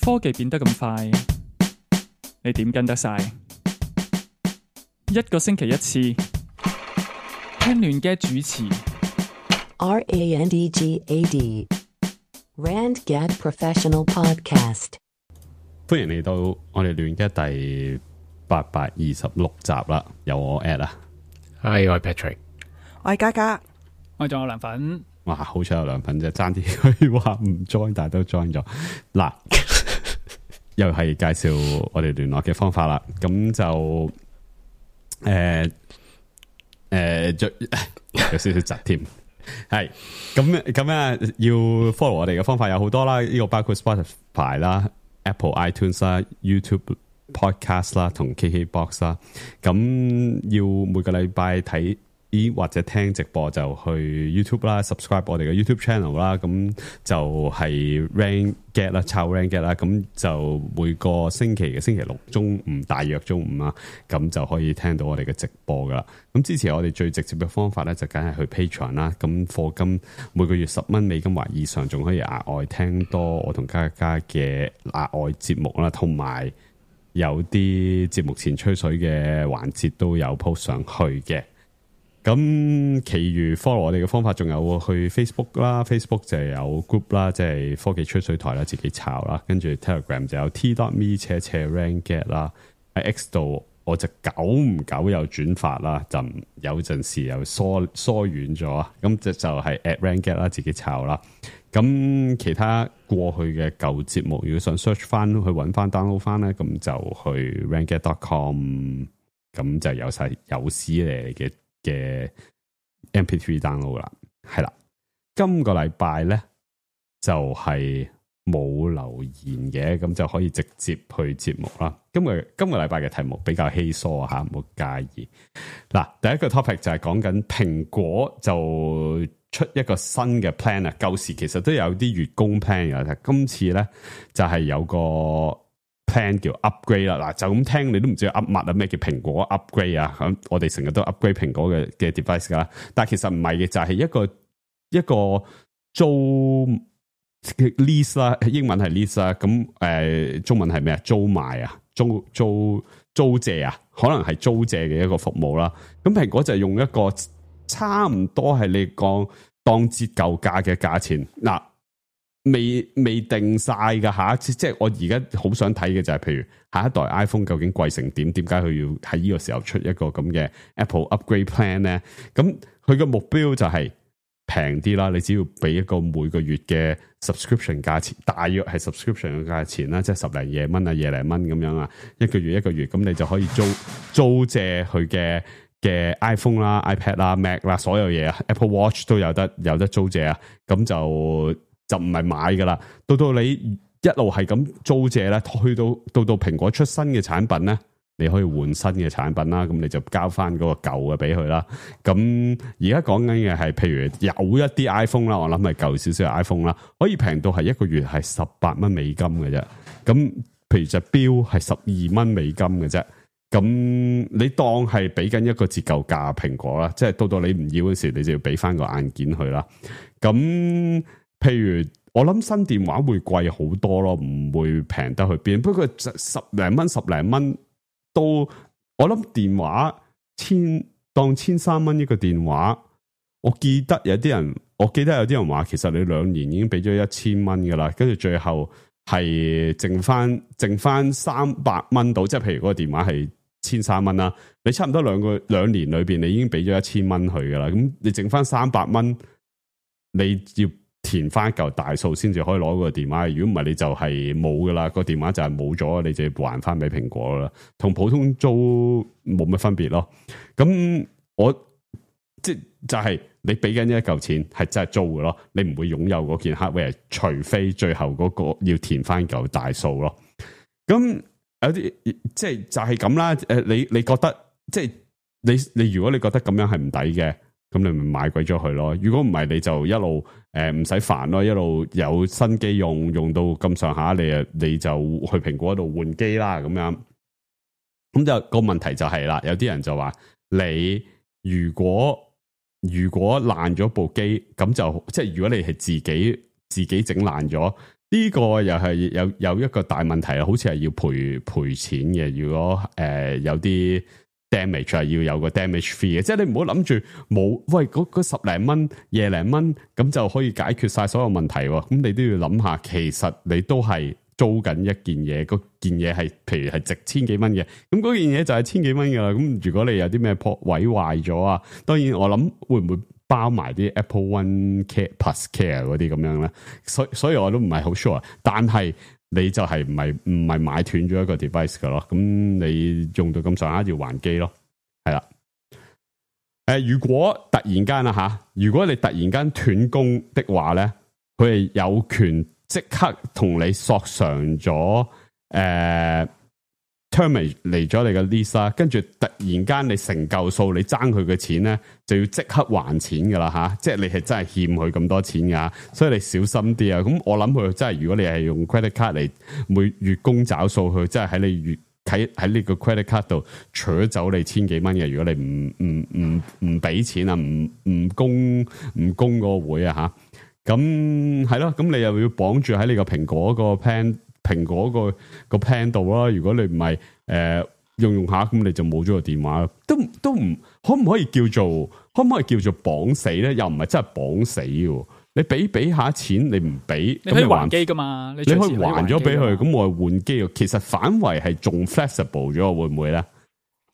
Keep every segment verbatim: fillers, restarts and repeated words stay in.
科技變得咁快，你點跟得晒？一個星期一次，聽亂嘅主持。R A N D G A D Randgad Professional Podcast。歡迎嚟到我哋亂嘅第八百二十六集啦，有我 At 啊，係我係 Patrick，我係嘉嘉，我仲有涼粉。哇，好彩有涼粉啫，爭啲可以話唔 join，但係都 join 咗。嗱，又係介紹我哋聯絡嘅方法啦。咁就誒誒，有少少窒添。係咁咁啊，要 follow 我哋嘅方法有好多啦。呢個包括 Spotify 啦、Apple iTunes 啦、YouTube Podcast 啦同 K K Box 啦。咁要每個禮拜睇或者聽直播就去 YouTube 啦 ，subscribe 我哋嘅 YouTube channel 啦，咁就係 Randgad 啦，抄 Randgad 啦，咁就每個星期嘅星期六中午，大約中午啊，咁就可以聽到我哋嘅直播噶啦。咁支持我哋最直接嘅方法咧，就梗係去 Patreon 啦。咁課金每個月十蚊美金或以上，仲可以額外聽多我同嘉嘉嘅額外節目啦，同埋有啲節目前吹水嘅環節都有 post 上去嘅。咁其餘 follow 我哋嘅方法仲有去 Facebook 啦 ，Facebook 就有 group 啦，即係科技吹水台啦，自己炒啦，跟住 Telegram 就有 t.me 斜斜 Randgad 啦，喺 X 度我就久唔久有轉發啦，就有陣時又疏疏遠咗，咁就就係 at Randgad 啦，自己炒啦。咁其他過去嘅舊節目，如果想 search 翻去揾翻 download 翻咧，咁就去 randgad dot com， 咁就有晒有史嚟嘅嘅 M P three download 啦，係啦。今個禮拜咧就係、是、冇留言嘅，咁就可以直接去節目啦。今個今個禮拜嘅題目比較稀疏啊，吓，唔好介意。嗱，第一個 topic 就係講緊蘋果就出一個新嘅 plan 啊。舊時其實都有啲月供 plan 嘅，今次咧就係、是、有個 plan 叫 upgrade 啦。嗱，就咁聽你都唔知 up 乜啊，咩叫蘋果 upgrade 啊？咁我哋成日都 upgrade 蘋果嘅嘅 device 噶啦，但係其實唔係嘅，就係、是、一個一個租 lease 啦，英文係 lease 啦，咁誒、呃、中文係咩啊？租賣啊，租租租借啊，可能係租借嘅一個服務啦。咁蘋果就用一個差唔多係你講當折舊價嘅價錢，嗱，未未定晒噶吓，即係我而家好想睇嘅就係，譬如下一代 iPhone 究竟貴成點？點解佢要喺呢個時候出一個咁嘅 Apple Upgrade Plan 咧？咁佢嘅目標就係平啲啦，你只要俾一個每個月嘅 subscription 價錢，大約係 subscription 嘅價錢啦，即係十零廿蚊啊，廿零蚊咁樣啊，一個月一個月，咁你就可以租租借佢嘅嘅 iPhone 啦、iPad 啦、Mac 啦，所有嘢啊 ，Apple Watch 都有得有得租借啊，咁就就唔係買噶啦。到到你一路係咁租借咧，去到到到蘋果出新嘅產品咧，你可以換新嘅產品啦，咁你就交翻嗰個舊嘅俾佢啦。咁而家講緊嘅係，譬如有一啲 iPhone 啦，我諗係舊少少嘅 iPhone 啦，可以平到係一個月係十八蚊美金嘅啫。咁譬如隻錶係十二蚊美金嘅啫。咁你當係俾緊一個折舊價蘋果啦，即係到到你唔要嗰時，你就要俾翻個硬件去啦。咁譬如我諗新電話會貴好多咯，唔會平得去邊。不過十零蚊、十零蚊都，我諗電話千當千三蚊一個電話。我記得有啲人，我記得有啲人話，其實你兩年已經俾咗一千蚊噶啦，跟住最後係剩翻剩翻三百蚊到，即係譬如嗰個電話係千三蚊啦，你差唔多兩個兩年裏邊，你已經俾咗一千蚊去噶啦，咁你剩翻三百蚊，你要填翻一嚿大數先至可以攞個電話。如果唔係，你就係冇噶啦，個電話就係冇咗，你就要還翻俾蘋果啦，同普通租冇乜分別咯。咁我即就係、是、你俾緊一嚿錢係真係租嘅咯，你唔會擁有嗰件 hardware，除非最後嗰個要填翻嚿大數咯。咁有啲即係就係咁啦。誒，你你覺得即係你你如果你覺得咁樣係唔抵嘅，咁你咪買鬼咗佢咯。如果唔係，你就一路誒唔使煩咯，一路有新機用，用到咁上下，你啊你就去蘋果度換機啦咁樣。咁就個問題就係啦，有啲人就話你如果如果爛咗部機，咁就即係如果你係自己自己整爛咗。呢個又係有有一個大問題啊，好似係要賠賠錢嘅。如果誒、呃、有啲 damage 係要有個 damage fee 嘅，即係你唔好諗住冇喂嗰十零蚊、廿零蚊咁就可以解決晒所有問題喎。咁你都要諗下，其實你都係租緊一件嘢，嗰件嘢係譬如係值千幾蚊嘅，咁嗰件嘢就係千幾蚊噶啦。咁如果你有啲咩破毀壞咗啊，當然我諗會唔會包埋啲 Apple One Care Plus Care 嗰啲咁樣咧？所以所以我都唔係好 sure， 但係你就係唔係唔係買斷咗一個 device 噶咯？咁你用到咁上下要還機咯，係啦。誒、呃，如果突然間啊吓，如果你突然間斷供的話咧，佢係有權即刻同你索償咗誒 terminate 嚟咗你嘅 lease 啦，跟住突然間你成嚿數你爭佢嘅錢咧，就要即刻還錢噶啦吓，即係你係真係欠佢咁多錢噶，所以你小心啲啊！咁我諗佢真係，如果你係用 credit card 嚟每月供找數，佢真係喺你月喺喺呢個 credit card 度取走你千幾蚊嘅。如果你唔唔唔唔俾錢啊，唔唔供唔供嗰個會啊吓，咁係咯，咁你又要綁住喺你個蘋果個 plan。蘋果個個 plan 度啦，如果你唔係誒用用下，咁你就冇咗個電話，都都唔可唔可以叫做可唔可以叫做綁死咧？又唔係真係綁死嘅，你俾俾下錢，你唔俾，你可以還機噶嘛？你，你可以還咗俾佢，咁我換機，其實反為係仲 flexible 咗，會唔會咧？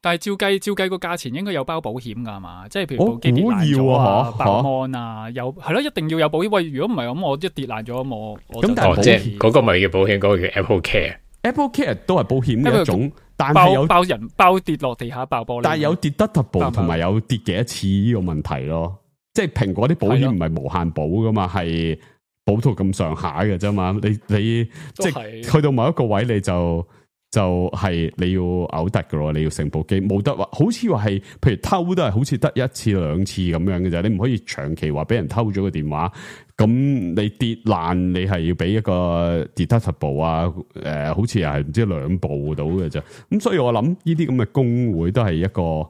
但係照計照計個價錢應該有包保險噶嘛？即係譬如部機跌爛咗啊、爆 mon 啊，有係咯，一定要有保險。喂，如果唔係咁，我一跌爛咗，我我咁但係即係嗰個咪叫保險，嗰、嗰個叫 Apple Care。Apple Care 都係保險嘅一種，但係係有爆人爆跌落地下爆玻璃，但係有跌得 double 同埋有跌幾多次呢個問題咯。即係蘋果啲保險唔係無限保噶嘛，係保到咁上下嘅啫嘛。你你即係去到某一個位你就。就係你要嘔突嘅咯，你要成部機冇得話，好似話係，譬如偷都係好似得一次兩次咁樣嘅啫，你唔可以長期話俾人偷咗個電話，咁你跌爛你係要俾一個 deductible 啊，誒、呃，好似又係唔知兩部到嘅啫，咁所以我諗呢啲咁嘅工會都係一個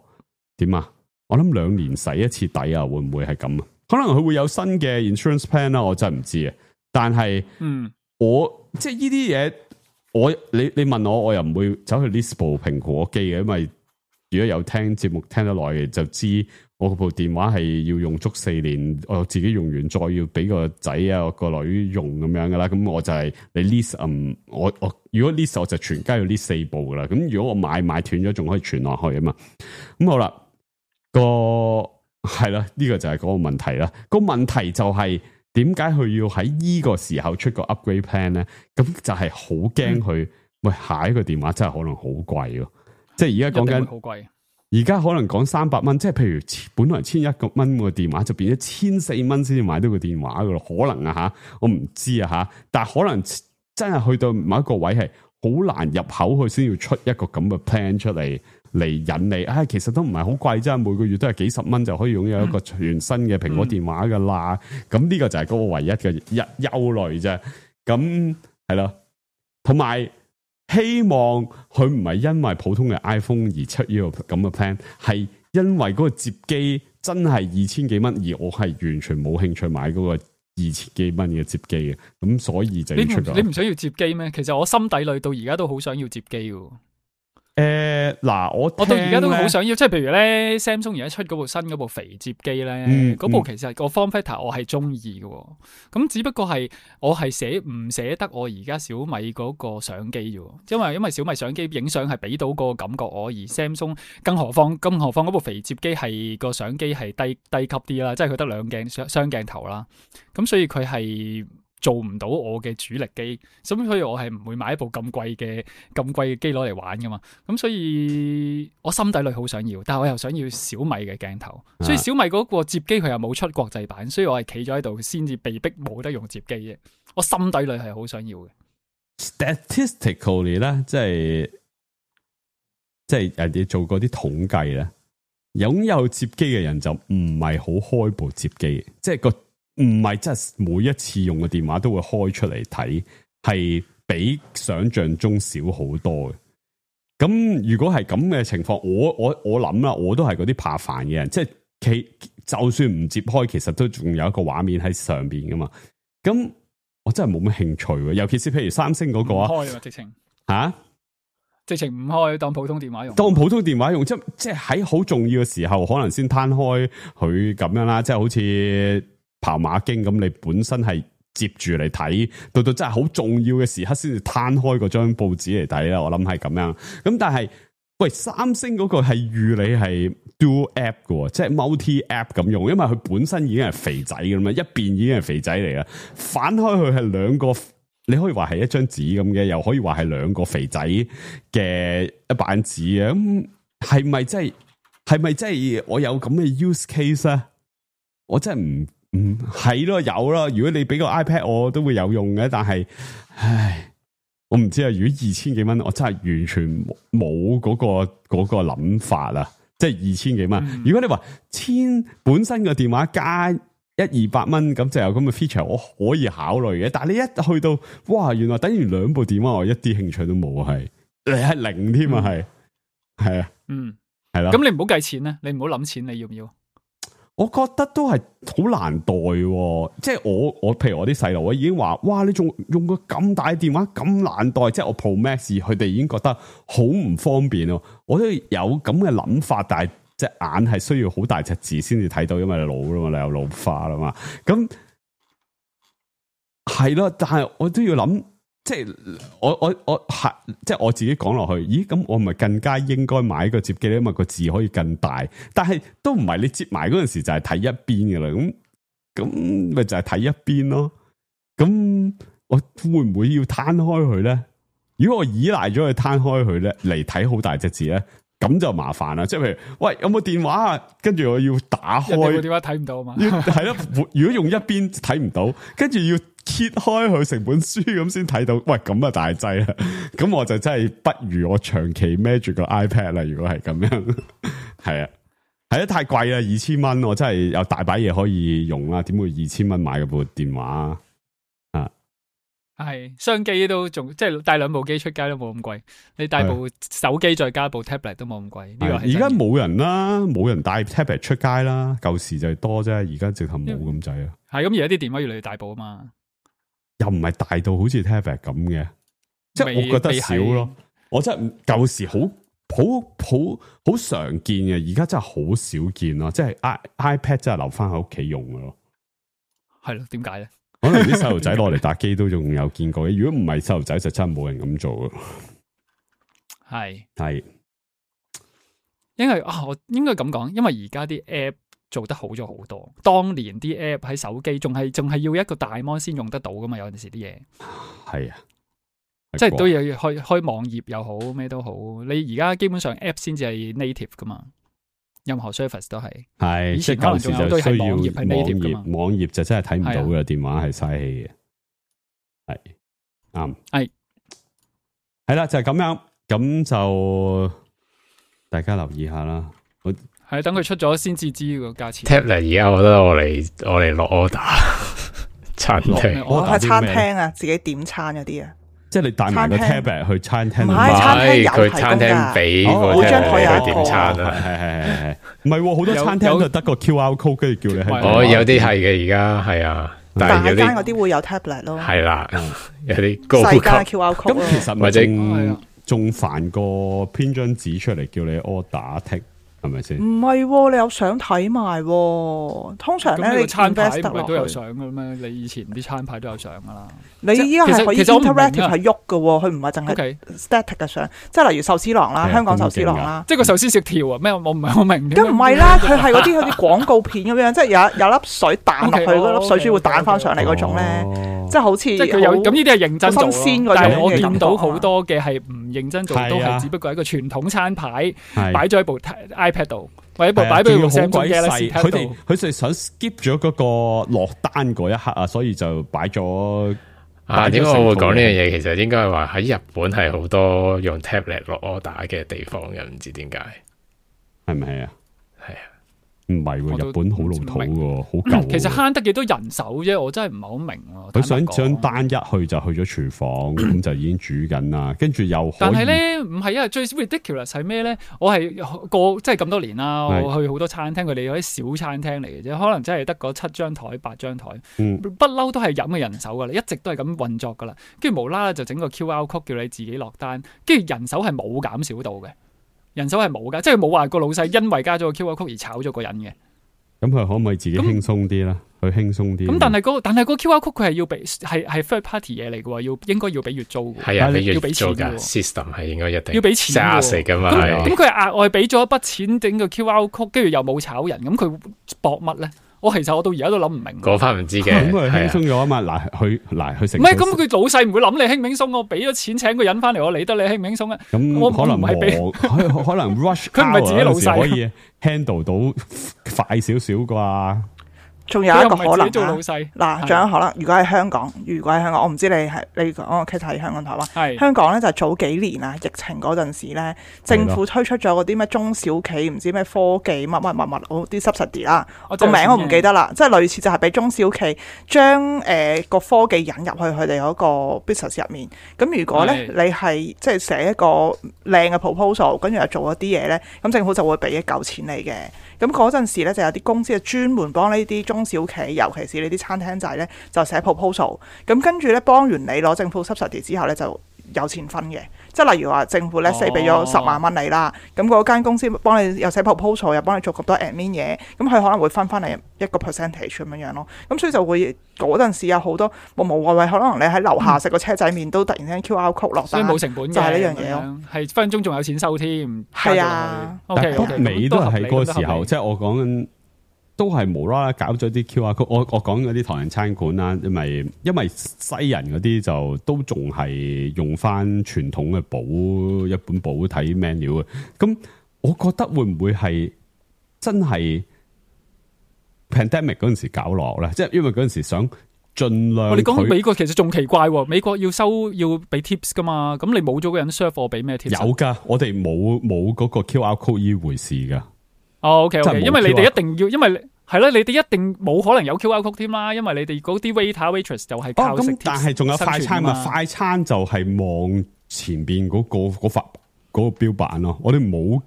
點啊？我諗兩年洗一次底啊，會唔會係咁啊？可能佢會有新嘅 insurance plan 啦，我真係唔知啊。但係，嗯，我即係呢啲嘢。我你你問我，我又唔會走去 list 部蘋果機嘅，因為如果有聽節目聽得耐嘅，就知我部電話係要用足四年，我自己用完再要俾個仔啊個女用咁樣噶啦。咁我就係你 list，嗯，我我如果 list 我就全家要 list 四部噶啦。咁如果我買買斷咗，仲可以傳落去啊嘛。咁好啦，個係啦，呢個就係嗰個問題啦。個問題就係。點解佢要喺呢個時候出個 upgrade plan 咧？咁就係好驚佢，喂，下一個電話真係可能好貴咯。即係而家講緊好貴，而家可能講三百蚊，即係譬如本來千一個蚊個電話，就變咗千四蚊先至買到個電話噶咯。可能啊吓，我唔知啊吓，但係可能真係去到某一個位係好難入口，佢先要出一個咁嘅 plan 出嚟。嚟引你，唉、哎，其實都唔係好貴啫，每個月都係幾十蚊就可以擁有一個全新嘅蘋果電話噶啦。咁、嗯、呢個就係嗰個唯一嘅憂憂慮啫。咁係咯，同埋希望佢唔係因為普通嘅 iPhone 而出呢個咁嘅 plan，係因為嗰個摺機真係二千幾蚊，而我係完全冇興趣買嗰個二千幾蚊嘅摺機嘅。咁所以就要出個。你唔想要摺機咩？其實我心底裏到而家都好想要摺機嘅。誒，嗱，我我到而家都好想要，即係譬如咧 Samsung 而家出嗰部新嗰部肥摺機咧，嗰、嗯、部其實個 form factor 我係中意嘅，咁只不過係我係捨唔捨得我而家小米嗰個相機啫，因為因為小米相機影相係俾到個感覺我，而 Samsung 更何況更何況嗰部肥摺機係個相機係低低級啲啦，即係佢得兩鏡雙雙鏡頭啦，咁所以佢係。做唔到我嘅主力機，咁所以我係唔會買一部咁貴嘅咁貴嘅機攞嚟玩噶嘛。咁所以我心底裏好想要，但係我又想要小米嘅鏡頭，啊、所以小米嗰個摺機佢又冇出國際版，所以我係企咗喺度先至被逼冇得用摺機嘅。我心底裏係好想要嘅。Statistically 咧，即係即係人哋做過啲統計咧，擁有摺機嘅人就唔係好開部摺機，即係個。唔係真係每一次用嘅電話都會開出嚟睇，係比想象中少好多嘅。咁如果係咁嘅情況，我我我諗啦，我都係嗰啲怕煩嘅人，即係其就算唔接開，其實都仲有一個畫面喺上邊噶嘛。咁我真係冇乜興趣喎。尤其是譬如三星嗰個啊，開啊直情吓。直情唔開，當普通電話用。當普通電話用，即即係喺好重要嘅時候，可能先攤開佢咁樣啦。即係好似跑馬經咁，你本身係接住嚟睇，到到真係好重要嘅時刻先至攤開嗰張報紙嚟睇啦。我諗係咁樣。咁但係，喂，三星嗰個係預你係 dual app 嘅，即係 multi app 咁用，因為佢本身已經係肥仔嘅嘛，一邊已經係肥仔嚟啦，反開佢係兩個。你可以話係一張紙咁嘅，又可以話係兩個肥仔嘅一版紙啊！咁係咪真係？係咪真係我有咁嘅 use case 啊？我真係唔唔係咯，有咯。如果你俾個 iPad 我都會有用嘅，但係，唉，我唔知啊。如果二千幾蚊，我真係完全冇嗰個嗰個諗法啊！即係二千幾蚊。嗯、如果你話千本身個電話加一二百蚊咁就有咁嘅 feature，我可以考慮嘅。但係你一去到，哇，原來等於兩部電話，我一啲興趣都冇，係你係零添啊，係係啊，嗯，係啦。咁你唔好計錢咧，你唔好諗錢，你要唔要？我覺得都係好難代，即係我我譬如我啲細路，我已經話，哇，你仲用個咁大嘅電話咁難代，即係我 Pro Max，佢哋已經覺得好唔方便咯。我都有咁嘅諗法，但係。隻眼係需要好大隻字先至睇到，因為你老啦嘛，你有老花啦嘛。咁係咯，但係我都要諗，即係我我我係即係我自己講落去。咦？咁我咪更加應該買個摺機咧，因為個字可以更大。但係都唔係你摺埋嗰陣時就係睇一邊嘅啦。咁咁咪就係睇一邊咯。咁我會唔會要攤開佢咧？如果我依賴咗佢攤開佢咧，嚟睇好大隻字咧？咁就麻煩啦，即係譬如，喂，有冇電話啊？跟住我要打開，個電話睇唔到啊嘛。係咯，如果用一邊睇唔到，跟住要揭開佢成本書咁先睇到，喂，咁啊大劑啦。咁我就真係不如我長期孭住個 iPad 啦。如果係咁樣，係啊，係啊，太貴啦，二千蚊，我真係有大把嘢可以用啦。點會二千蚊買嗰部電話啊？係雙機都仲即係帶兩部機出街都冇咁貴，你帶部手機再加部 tablet 都冇咁貴。呢個係而家冇人啦，冇人帶 tablet 出街啦。舊時就係多啫，而家直頭冇咁滯啊。係咁，而家啲電話越嚟越大部啊嘛，又唔係大到好似 tablet 咁嘅，即係我覺得少咯。我真係舊時好好好好常見嘅，而家真係好少見咯。即係 i iPad 真係留翻喺屋企用嘅咯。係咯，點解咧？可能啲細路仔攞嚟打機都仲有見過嘅，如果唔係細路仔就真係冇人咁做咯。係係，因為啊，我應該咁講，因為而家啲 app 做得好咗好多。當年啲 app 喺手機仲係仲係要一個大 mon 先用得到噶嘛，有陣時啲嘢係啊，即係都要開開網頁又好咩都好。你而家基本上 app 先至係 native 噶嘛。任何 service 都係，係以前可能仲有都係網頁係 native 噶嘛，網頁就真係睇唔到嘅，電話係嘥氣嘅，係啱，係係啦，就係咁樣，咁就大家留意下啦。係等佢出咗先至知個價錢。Tablet 而家我覺得我嚟我嚟落 order 餐廳，我喺餐廳啊，自己點餐嗰啲啊。即係你帶埋個 tablet 去餐廳，唔係餐廳有佢餐廳俾個 tablet 去點餐啦，係係係係，唔係好多餐廳就得個 Q R code 跟住叫你喺。哦，有啲係嘅而家係啊，但係間嗰啲會有 tablet 咯，係啦，有啲高級 Q R code。咁其實或者仲煩過編張紙出嚟叫你 order take。係咪先？唔係，你有相睇埋。通常咧，你餐牌唔係都有相嘅咩？你以前啲餐牌都有相噶啦。你依家係可以 interactive 係喐嘅，佢唔係淨係 static 嘅相。即係例如壽司郎啦，香港壽司郎啦，即係個壽司食條啊？咩？我唔係好明。咁唔係啦，佢係嗰啲好似廣告片咁樣，即係有有粒水彈落去，嗰粒水珠會彈翻上嚟嗰種咧，即係好似即係佢有咁呢啲係認真做咯。但係我見到好多嘅係唔認真做，都係只不過係一個傳統餐牌擺咗喺部 iPad 度，或者部擺俾部 Samsung Galaxy 佢哋佢哋想 skip 咗嗰個落單嗰一刻啊，所以就擺咗。啊，點解我會講呢樣嘢？其實應該係話喺日本係好多用 tablet 落 order 嘅地方嘅，唔知點解，係咪啊？係啊，唔係喎，我都日本好老土喎，好舊喎。其實慳得幾多人手啫，我真係唔係好明喎。佢想坦白講想單一去就去咗廚房，咁就已經煮緊啦，跟住又可以。但係咧唔係啊，最 ridiculous 係咩咧？我係過即係咁多年啦，係我去好多餐廳，佢哋有啲小餐廳嚟嘅啫，可能真係得嗰七張台、八張台，嗯不嬲都係飲嘅人手噶啦，一直都係咁運作噶啦。跟住無啦啦就整個 Q R code 叫你自己落單，跟住人手係冇減少到嘅，人手係冇噶，即係冇話個老細因為加咗個 Q R code 而炒咗個人嘅。咁佢可唔可以自己輕鬆啲啦？佢輕鬆啲。咁但係嗰、那個、但係個 Q R code 佢係要俾係係 third party 嘢嚟嘅喎，要應該要俾月租嘅。係啊，俾月要俾錢租㗎嘅喎 system 係應該一定要俾錢揸喎食㗎嘛。咁係咁佢係額外俾咗一筆錢整個 Q R code，跟住又冇炒人，咁佢搏乜咧？我其實我到而家都諗唔明。嗰翻唔知嘅，咁佢輕係啊鬆咗啊嘛。嗱，佢嗱佢成唔係咁，佢老細唔會諗你輕唔輕鬆，我俾咗錢請個人翻嚟，我理得你輕唔輕鬆啊？我咁可能唔係俾磨可可能 rush，佢唔係自己老細可以 handle 到快少少啩。仲有一個可能佢又唔係自己做老啊細。嗱，仲有可能，如果喺香港，如果喺香港，我唔知你係你講個 case 喺香港、台灣。係香港咧就係早幾年啊，疫情嗰陣時咧，政府推出咗嗰啲咩中小企，唔知咩科技乜乜乜乜嗰啲 subsidy 啦，個名我唔記得啦，即係類似就係俾中小企將誒個科技引入去佢哋嗰個 business 入面。咁如果咧你係即係寫一個靚嘅 proposal，跟住又做一啲嘢咧，咁政府就會俾一嚿錢你嘅。咁嗰陣時咧就有啲公司係專門幫呢啲中小企，尤其是呢啲餐廳仔咧，就寫 proposal。咁跟住咧幫完你攞政府 subsidy 之後咧，就有錢分嘅。即係例如話政府咧四俾咗十萬蚊你啦，咁嗰間公司幫你又寫 proposal，又幫你做咁多 admin 嘢，咁佢可能會分翻你一個 percentage 咁樣樣咯。咁所以就會嗰陣時有好多無無謂謂，可能你喺樓下食個車仔麵都突然間 Q R code 落單，所以冇成本嘅，就係呢樣嘢咯。係分分鐘仲有錢收添。係啊，OK 但 OK，北美都係喺嗰個時候，合理即係我講緊都係無啦啦搞咗啲 Q R code。我我講嗰啲唐人餐館啦，因為因為西人嗰啲就都仲係用翻傳統嘅簿一本簿睇 menu 嘅。咁我覺得會唔會係真係 pandemic 嗰陣時搞落咧？即係因為嗰陣時想盡量我哋講佢美國其實仲奇怪喎，美國要收要俾 tips 噶嘛，咁你冇咗個人 serve 我俾咩 tips？有噶，我哋冇冇嗰個 Q R code 呢回事噶。哦，OK 真係 OK，冇因為你 Q R 哋一定要，因為係啦，你哋一定冇可能有 Q R code 添啦，因為你哋嗰啲 waiter waitress 就係靠哦，食咁但係仲有快餐嘛？快餐就係望前邊嗰、嗰個嗰塊嗰個標板咯。我哋冇唔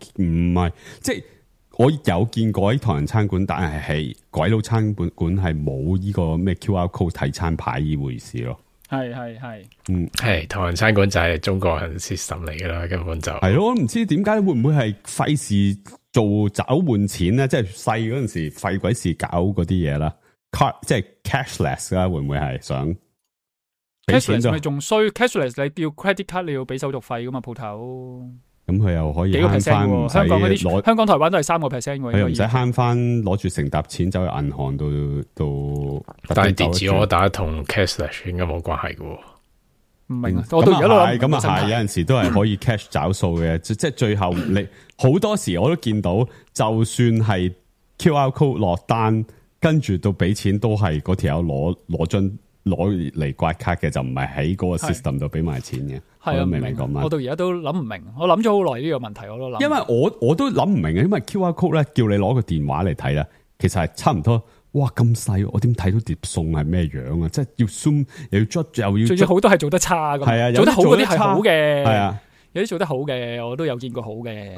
係，即係我有見過喺唐人餐館，但係係鬼佬餐館館係冇呢個咩 Q R code 睇餐牌呢回事咯。係係係，嗯，係唐人餐館就係中國人 system 嚟噶啦，根本就係咯。我唔知點解會唔會係費事做找換錢咧？即係細嗰陣時費鬼事搞嗰啲嘢啦 ，card 即係 cashless 啦，會唔會係想俾錢 cashless 就咪仲衰 cashless 你要 credit card 你要俾手續費噶嘛鋪頭。咁佢又可以幾個慳 percent 翻，唔喎？使香港嗰啲，攞香港台灣都係三個 percent 喎。佢又唔使應該慳翻，攞住成沓錢走去銀行度度。但係電子我打同 cashless 應該冇關係嘅喎。唔明啊！我到而家都諗唔咁啊係，明個生態有陣時都係可以 cash 找數嘅，即即係最後你好多時我都見到，就算係 Q R code 落單，跟住到俾錢都係嗰條友攞攞張攞嚟刮卡嘅，就唔係喺嗰個 system 度俾埋錢嘅。我係啊，都唔明明唔明講乜？我到而家都諗唔明，我諗咗好耐呢個問題，我都諗。因為我我都諗唔明啊，因為 Q R code 咧叫你攞個電話嚟睇啦，其實係差唔多。哇咁細，我點睇到碟餸係咩樣啊？即係要 zoom 又要捽又要，最最好多係做得差咁，係啊，做得好嗰啲係好係嘅，啊，有啲做得好嘅，我都有見過好嘅。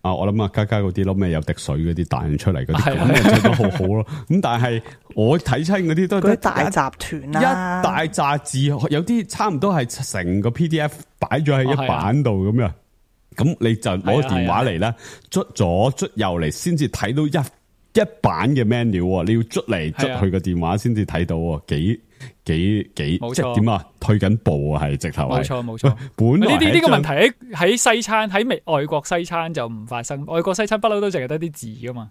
啊，我諗啊，家家嗰啲咯，咩有滴水嗰啲彈出嚟嗰啲，係啊咁做得好好咯。咁但係我睇親嗰啲都嗰啲大集團一啦，大扎字，有啲差唔多係成個 P D F 擺咗喺一版度咁樣。咁你就攞個電話嚟啦，捽左捽右嚟，先至睇到一。一版嘅 menu 喎，你要捽嚟捽去個電話先至睇到喎，幾幾幾即係點啊？退緊步啊，係直頭係。冇錯冇錯。本來呢啲呢個問題喺喺西餐喺美外國西餐就唔發生，外國西餐不嬲都淨係得啲字噶嘛。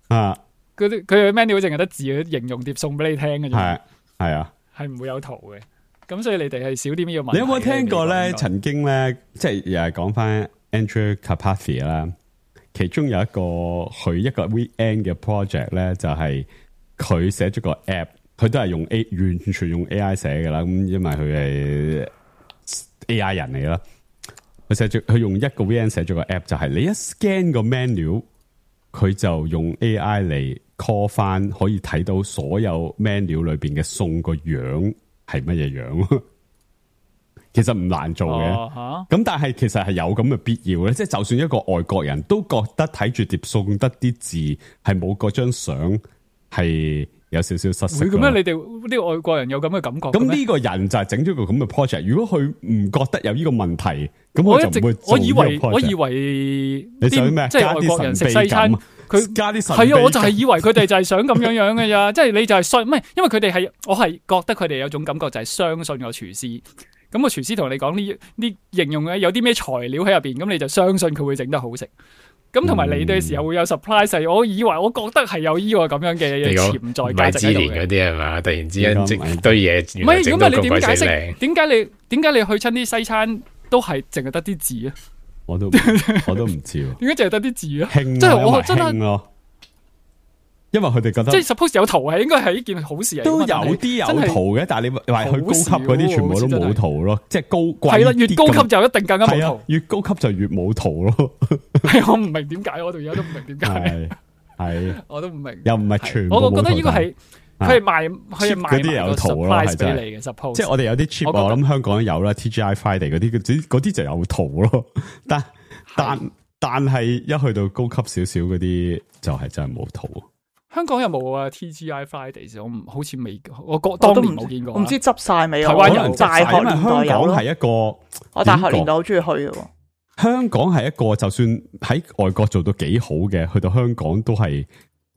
啊，嗰啲佢嘅 menu 淨係得字，形容碟送俾你聽嘅啫。係係啊，係唔會有圖嘅。咁所以你哋係少啲呢個問題。你有冇聽過咧？曾經咧，即係又係講翻 Andrew Carpathy 啦。其中有一個佢一個 weekend 嘅 project 咧，就係佢寫咗個 app，佢都係用 A 完全用 A I 寫噶啦。咁因為佢係 A I 人嚟啦，佢寫咗佢用一個 weekend 寫咗個 app，就係你一 scan 個 menu，佢就用 A I 嚟 call 翻，可以睇到所有 menu 裏邊嘅餸個樣係乜嘢樣。其實唔難做嘅，咁、哦、但係其實係有咁嘅必要咧。即係就算一個外國人都覺得睇住碟餸得啲字係冇嗰張相係有少少失色。會咁樣？你哋啲外國人有咁嘅感覺？咁呢個人就係整咗個咁嘅 project。如果佢唔覺得有呢個問題，咁我一直佢就唔會做我以為呢個 project。我以為你想咩？即係外國人食西餐，佢加啲係啊，我就係以為佢哋就係想咁樣樣嘅咋。即係你就係信，唔係因為佢哋係，我係覺得佢哋有種感覺就係相信個廚師。咁個廚師同你講呢呢形容咧有啲咩材料喺入邊，咁你就相信佢會整得好食。咁同埋嚟嘅時候會有 surprise，我以為我覺得係有呢個咁樣嘅潛在價值喺度嘅。嗰啲係嘛？突然之間整堆嘢，唔係，如果唔係你點解釋？點解你點解你去親啲西餐都係淨係得啲字啊？我都我都唔知喎。點解淨係得啲字啊？興即係我真係。因為佢哋覺得即係 suppose 有圖係應該係一件好事嚟，都有啲有圖嘅，但係你話佢高級嗰啲全部都冇圖咯，即係高貴係啦，越高級就一定更加冇圖，越高級就越冇圖咯。係我唔明點解，我到而家都唔明點解，係我都唔明，又唔係全部冇圖。我覺得呢個係佢係賣佢係賣嗰啲有圖咯，係真係。suppose 即係我哋有啲 cheap，我諗香港都有啦 ，T G I Friday 嗰啲，嗰啲就有圖咯。但但但係一去到高級少少嗰啲，就係真係冇圖。香港有冇啊 T G I Fridays？ 我唔好似未，我覺當年冇見過。唔知執晒未啊？台灣有大學年代有咯。係一個，我大學年代好中意去嘅。香港係一個，就算喺外國做到幾好嘅，去到香港都係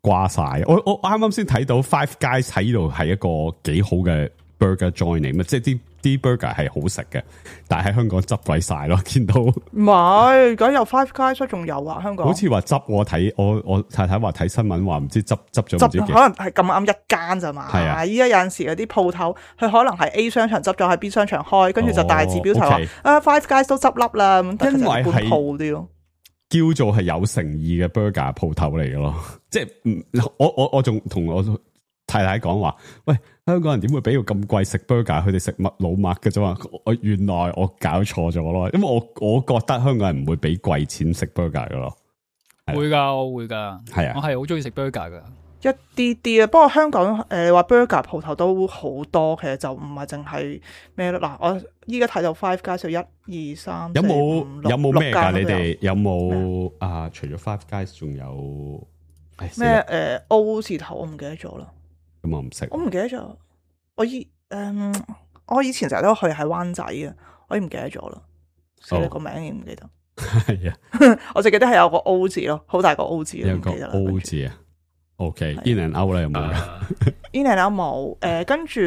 掛晒。我我啱啱先睇到 Five Guys 喺呢度係一個幾好嘅 burger joint 嚟，咁即係啲啲 burger 係好食嘅，但係喺香港執鬼晒咯，見到。唔係，而家有 Five Guys 仲有啊，香港。好似話執，我睇我我太太話睇新聞話唔知執執咗唔知幾。可能係咁啱一間咋嘛？係啊，依家有陣時嗰啲鋪頭，佢可能係 A 商場執咗喺 B 商場開，跟住就大字標題話、哦 okay. 啊 Five Guys 都執笠啦，咁因為係鋪啲咯。叫做係有誠意嘅 burger 鋪頭嚟嘅咯，即係唔我我我仲同我太太講話，喂，香港人點會俾到咁貴食 burger？ 佢哋食麥老麥嘅啫嘛。我原來我搞錯咗咯，因為我我覺得香港人唔會俾貴錢食 burger 嘅咯。會噶，我會噶，係啊，我係好中意食 burger 噶。一啲啲啊，不過香港誒話 burger 鋪頭都好多，其實就唔係淨係咩咯。嗱，我依家睇到 Five Guys 就一二三，有冇有冇咩㗎？你哋有冇麼啊？除咗 Five Guys，仲有咩誒 O 字頭？我唔記得咗啦。咁我唔識，我唔記得咗。我以誒、嗯，我以前成日都去喺灣仔啊，我已經唔記得咗啦。死啦，個名已經唔記得。係啊，我就記得係有個 O 字咯，好大個 O 字。有個 O 字啊。OK，In and Out 咧有冇？In and Out 冇。誒，跟住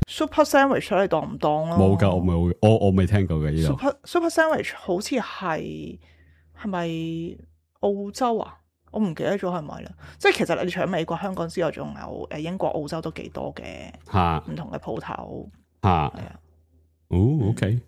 Super Sandwich 你當唔當咯？冇噶，我冇，我我未聽過嘅呢度。Super Super Sandwich 好似係係咪澳洲啊？我唔記得咗係咪啦。即係其實你除咗美國、香港之外，仲有誒英國、澳洲都幾多嘅嚇，唔同嘅鋪頭嚇。係啊。哦 ，OK，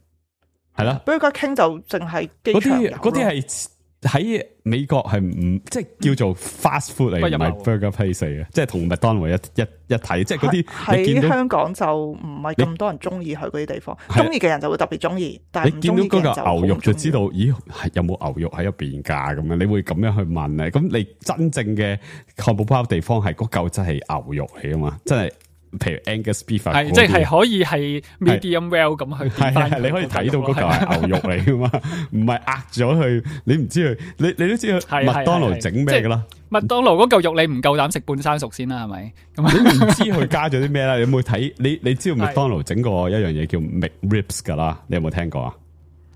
係啦。Burger King 就淨係機場有咯。嗰啲係。喺美國係唔即係叫做 fast food 嚟，唔係 burger place 嚟嘅，即係同麥當勞一一一睇，即係嗰啲喺香港就唔係咁多人中意去嗰啲地方，中意嘅人就會特別中意，但係唔中意嘅人就好唔中意。你見到嗰個牛肉就知道，咦，有冇牛肉喺入邊㗎？咁樣你會咁樣去問咧？咁你真正嘅漢堡包地方係嗰嚿真係牛肉嚟啊嘛，真係。譬如 Angus beef 係即係可以係 medium well 咁去係係你可以睇到嗰嚿係牛肉嚟噶嘛，唔係壓咗去，你唔知佢，你你都知道麥當勞整咩噶啦？麥當勞嗰嚿肉你唔夠膽食半生熟先啦，係咪？咁你唔知佢加咗啲咩啦？你有冇睇？你你知道麥當勞整過一樣嘢叫 McRibs 噶啦？你有冇聽過啊？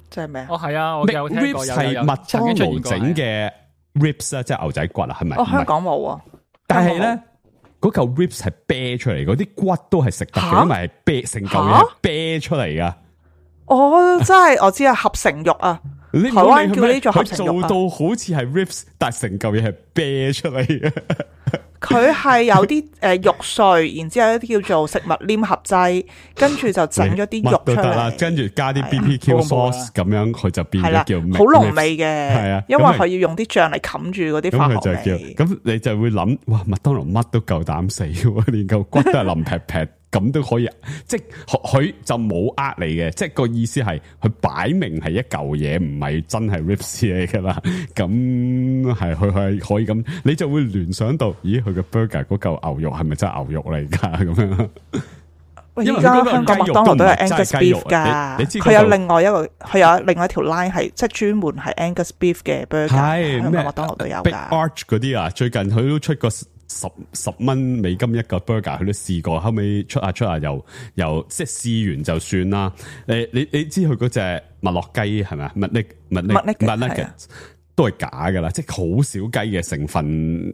即係咩？哦係啊，我有聽過。係麥當勞整嘅 ribs 啊，即係牛仔骨啊，係咪？哦，香港冇啊，但係咧。嗰嚿 ribs 係啤出嚟，嗰啲骨都係食得嘅，因為係啤成嚿嘢係啤出嚟噶。哦，真係我知啊，合成肉啊，台灣叫呢做合成肉啊。佢做到好似係 ribs，但係成嚿嘢係啤出嚟嘅。佢係有啲誒肉碎，然之後有一啲叫做食物黏合劑，跟住就整咗啲肉出嚟，跟住加啲 B B Q sauce 咁樣，佢就變咗叫好濃味嘅。係啊，因為佢要用啲醬嚟冚住嗰啲化學味。咁你就會諗，哇！麥當勞乜都夠膽死喎，連嚿骨都係腍劈劈咁都可以，即係佢就冇呃你嘅，即係個意思係佢擺明係一嚿嘢，唔係真係 ribs 嚟噶啦。咁係佢係可以咁，你就會聯想到，咦，佢嘅 burger 嗰嚿牛肉係咪真係牛肉嚟噶？咁樣。喂，而家香港麥當勞都有 Angus beef 噶，佢有另外一個，佢有另外一條 line 係即係專門係 Angus beef 嘅 burger，香港麥當勞都有噶。Big Arch 嗰啲啊，最近佢都出過十十蚊美金一個 burger，佢都試過，後尾出下出下又又即係試完就算啦。誒，你你知佢嗰隻麥樂雞係咪啊？麥力麥力麥力嘅都係假噶啦，即係好少雞嘅成分。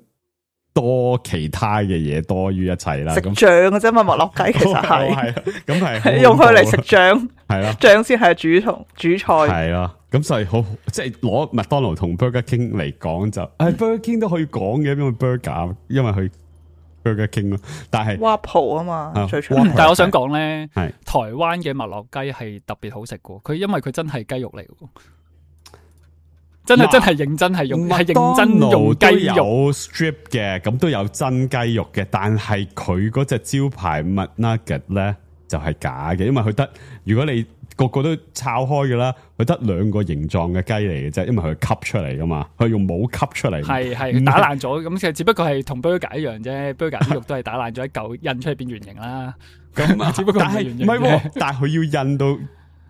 多其他嘅嘢多於一切啦，食醬嘅啫嘛，麥樂雞其實係，係咁係用佢嚟食醬，係啦，醬先係主同主菜，係啦，咁所以好即係攞麥當勞同 Burger King 嚟講就，誒 Burger King 都可以講嘅，因為 Burger 因為佢 Burger King 咯，但係 Waffle 啊嘛，最出名。但係我想講咧，係台灣嘅麥樂雞係特別好食嘅，佢因為佢真係雞肉嚟嘅。真係真係認真係用，係認真用雞肉。有 strip 嘅，咁都有真雞肉嘅，但係佢嗰隻招牌麥 nugget 咧就係假嘅，因為佢得如果你個個都抄開嘅啦，佢得兩個形狀嘅雞嚟嘅啫，因為佢吸出嚟噶嘛，佢用冇吸出嚟，係係打爛咗，咁其實只不過係同 burger 一樣啫，burger 啲肉都係打爛咗一嚿印出嚟變圓形啦。咁只不過係唔係，但係佢要印到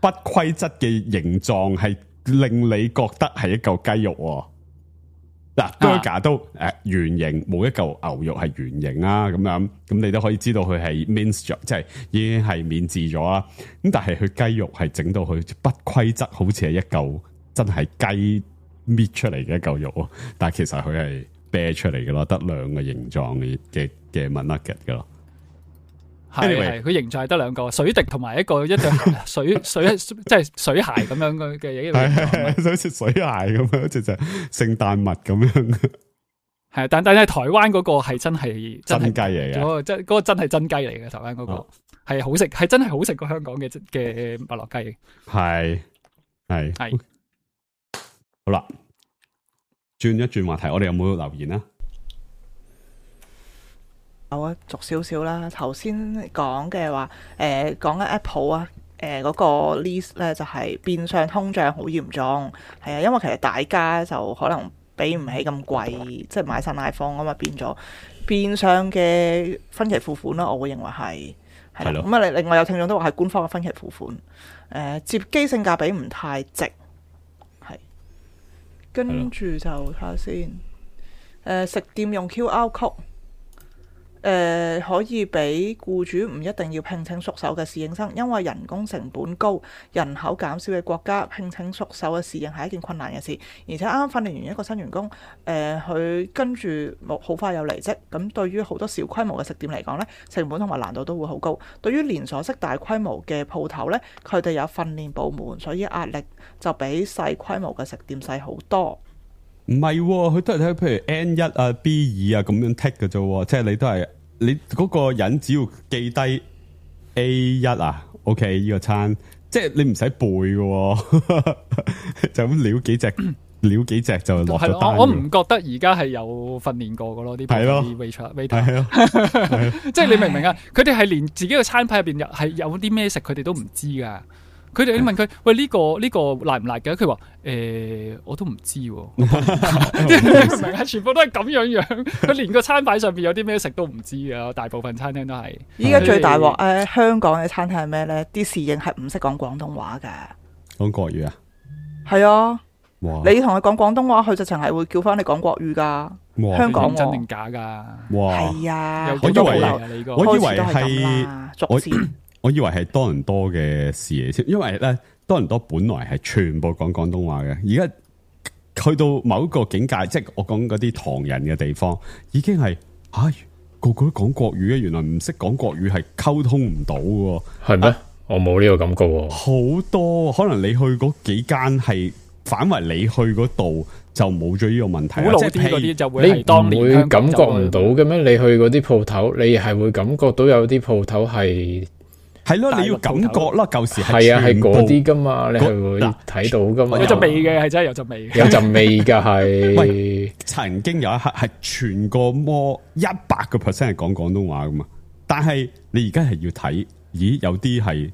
不規則嘅形狀係。令你覺得係一嚿雞肉喎，嗱 burger 都誒圓形，冇一嚿牛肉係圓形啊，咁樣咁你都可以知道佢係 mince 咗，即係已經係免治咗啦。咁但係佢雞肉係整到佢不規則，好似係一嚿真係雞搣出嚟嘅一嚿肉，但係其實佢係啤出嚟嘅咯，得兩個形狀嘅嘅嘅麥 nugget 嘅咯。係係，佢形狀係得兩個水滴同埋一個一對水水即係水鞋咁樣嘅嘅嘢，係好似水鞋咁樣，好似就聖誕襪咁樣。係，但但係台灣嗰個係真係真雞嚟嘅，嗰個真嗰個真係真雞嚟嘅。台灣嗰個係好食，係真係好食過香港嘅嘅麥樂雞。係係係好啦，轉一轉話題，我哋有冇留言啊？有啊，逐少少啦。頭先講嘅話，誒講緊 Apple 啊，誒、呃、嗰、那個 list 咧就係、是、變相通脹好嚴重，係啊，因為其實大家就可能俾唔起咁貴，即係買新 iPhone 啊嘛，變咗變相嘅分期付款啦，我會認為係係啦。咁啊，另外有聽眾都話係官方嘅分期付款，誒、呃、接機性價比唔太值，係跟住就睇下先，誒、呃、食店用 Q R code。誒、呃、可以俾僱主唔一定要聘請熟手嘅侍應生，因為人工成本高、人口減少嘅國家，聘請熟手嘅侍應係一件困難嘅事。而且啱啱訓練完一個新員工，誒、呃、佢跟住冇好快有離職，咁對於好多小規模嘅食店嚟講呢，成本同埋難度都會好高。對於連鎖式大規模嘅鋪頭呢，佢哋有訓練部門，所以壓力就比細規模嘅食店細好多。唔係，佢都係睇譬如 N 一啊、B 二啊咁樣剔嘅啫，即係你都係你嗰個人只要記低 A 一啊 ，OK 呢個餐，即係你唔使背嘅，就咁撩幾隻撩幾隻就落咗單。我唔覺得而家係有訓練過嘅咯，啲係咯 waiter，係咯，即係你明唔明啊？佢哋係連自己嘅餐牌入邊係有啲咩食，佢哋都唔知噶。佢哋你問佢喂呢、這個呢、這個辣唔辣嘅？佢話誒我都唔知喎，明明啊？全部都係咁樣樣，佢連個餐牌上邊有啲咩食都唔知噶。大部分餐廳都係。依家最大鑊誒，香港嘅餐廳係咩咧？啲侍應係唔識講廣東話嘅，講國語啊？係啊，哇你同佢講廣東話，佢直情係會叫翻你講國語噶。香港真定假噶？哇，係啊，我以為我以為係逐漸。我以為係多倫多嘅事嚟先，因為咧多倫多本來係全部講廣東話嘅，而家去到某一個境界，即係我講嗰啲唐人嘅地方，已經係吓、哎、個個都講國語嘅，原來唔識講國語係溝通唔到嘅，係咩？我冇呢個感覺。好多可能你去嗰幾間係反為你去嗰度就冇咗呢個問題。古老啲嗰啲就會係當年你唔會感覺唔到嘅咩？你去嗰啲鋪頭，你係會感覺到有啲鋪頭係。係咯，你要感覺啦，舊時係啊，係嗰啲噶嘛，你係會睇到噶嘛。有陣味嘅，係真係有陣味。有陣味噶係。曾經有一刻係全個摩一百個 percent 係講廣東話噶嘛。但係你而家係要睇，咦？有啲係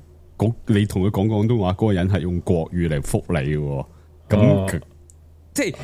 你同佢講廣東話，嗰、嗰個人係用國語嚟覆你嘅，咁、哦、即係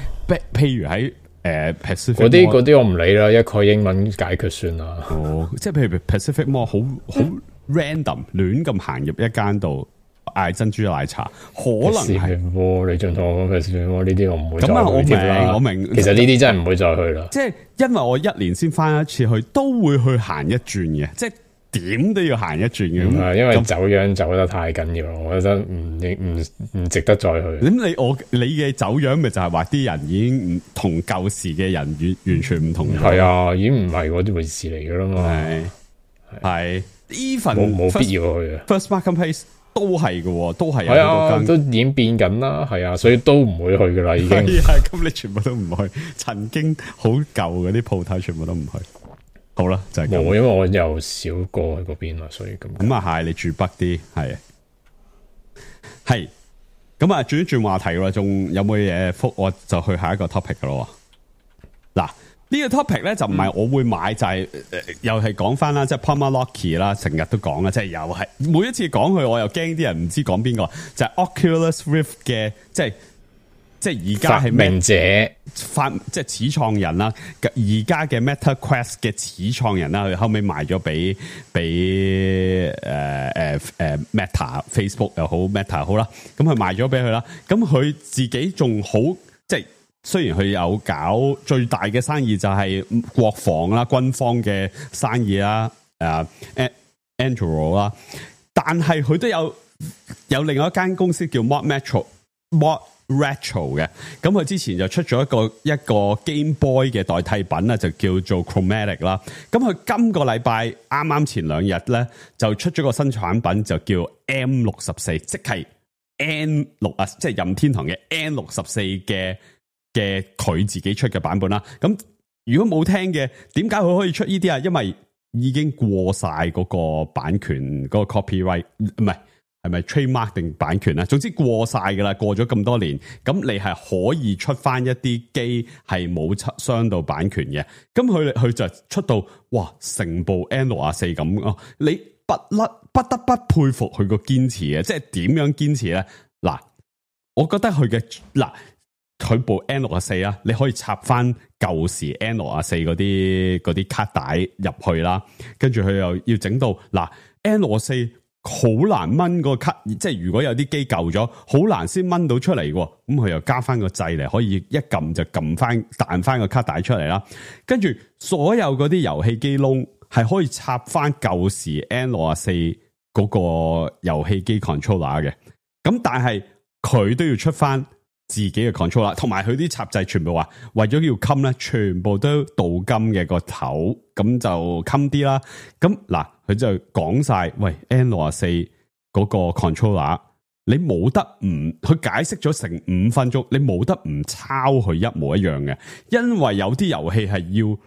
譬如喺誒 Pacific 嗰啲嗰啲我唔理啦，一概英文解決算啦。哦，即係譬如 Pacific Mall 好好 random 亂咁行入一間度嗌珍珠奶茶，可能係你仲同我講 Pacific Mall 呢啲我唔會再去。咁啊，我明我明，其實呢啲真係唔會再去啦。即係因為我一年先翻一次去，都會去行一轉嘅，即係點都要行一轉嘅。咁因為走樣走得太緊要，我覺得唔唔唔值得再去。咁你我你嘅走樣咪就係話啲人已經唔同舊時嘅人完完全唔同。係啊，已經唔係嗰啲回事嚟噶啦嘛。係係 even 冇冇必要去啊。First Marketplace 都係嘅，都係有好多間，都已經變緊啦。係啊，所以都唔會去噶啦，已經。係啊，咁你全部都唔去，曾經好舊嗰啲鋪頭全部都唔去。好啦，就係咁。冇，因為我又少過去嗰邊啦，所以咁。咁啊係，你住北啲，係係。咁啊，轉一轉話題啦，仲有冇嘢覆？我就去下一個 topic 噶咯。嗱，呢個 topic 咧就唔係我會買，嗯、就係、是呃、又係講翻啦，即係 Palmer Luckey 啦，成日都講啦，即係又係每一次講佢，我又驚啲人唔知講邊個，就係、是、Oculus Rift 嘅，即係即係而家係發明者發即係始創人啦，而家嘅 Meta Quest 嘅始創人啦，佢後尾賣咗俾俾誒誒誒 Meta Facebook 又好 Meta 好啦，咁佢賣咗俾佢啦，咁佢自己仲好即係。雖然佢有搞最大嘅生意就係國防啦、軍方嘅生意啦，誒、uh, Anduril 啦，但係佢都有有另外一間公司叫 Mod Retro Mod Retro 嘅，咁佢之前就出咗一個一個 Game Boy 嘅代替品啦，就叫做 Chromatic 啦。咁佢今個禮拜啱啱前兩日咧就出咗個新產品，就叫 M 六十四，即係 N 六啊，即係任天堂嘅 N 六十四嘅。嘅佢自己出嘅版本啦，咁如果冇聽嘅，點解佢可以出呢啲啊？因為已經過晒嗰個版權嗰、嗰個 copyright， 唔係係咪 trademark 定版權啊？總之過晒噶啦，過咗咁多年，咁你係可以出翻一啲機係冇傷到版權嘅，咁佢佢就出到哇成部 N 六十四咁哦，你不甩不得不佩服佢個堅持嘅，即係點樣堅持咧？嗱，我覺得佢嘅嗱。佢部 N 六十四啊，你可以插翻舊時 N 六十四嗰啲嗰啲卡帶入去啦，跟住佢又要整到嗱 N 六十四好難掹個卡，即係如果有啲機舊咗，好難先掹到出嚟喎。咁佢又加翻個掣嚟，可以一撳就撳翻彈翻個卡帶出嚟啦。跟住所有嗰啲遊戲機窿係可以插翻舊時 N 六十四嗰個遊戲機 controller 嘅，咁但係佢都要出翻自己嘅 controller，同埋佢啲插掣全部話為咗要襟咧，全部都鍍金嘅個頭，咁就襟啲啦。咁嗱，佢就講晒，喂 N 六十四嗰個 controller，你冇得唔，佢解釋咗成五分鐘，你冇得唔抄佢一模一樣嘅，因為有啲遊戲係要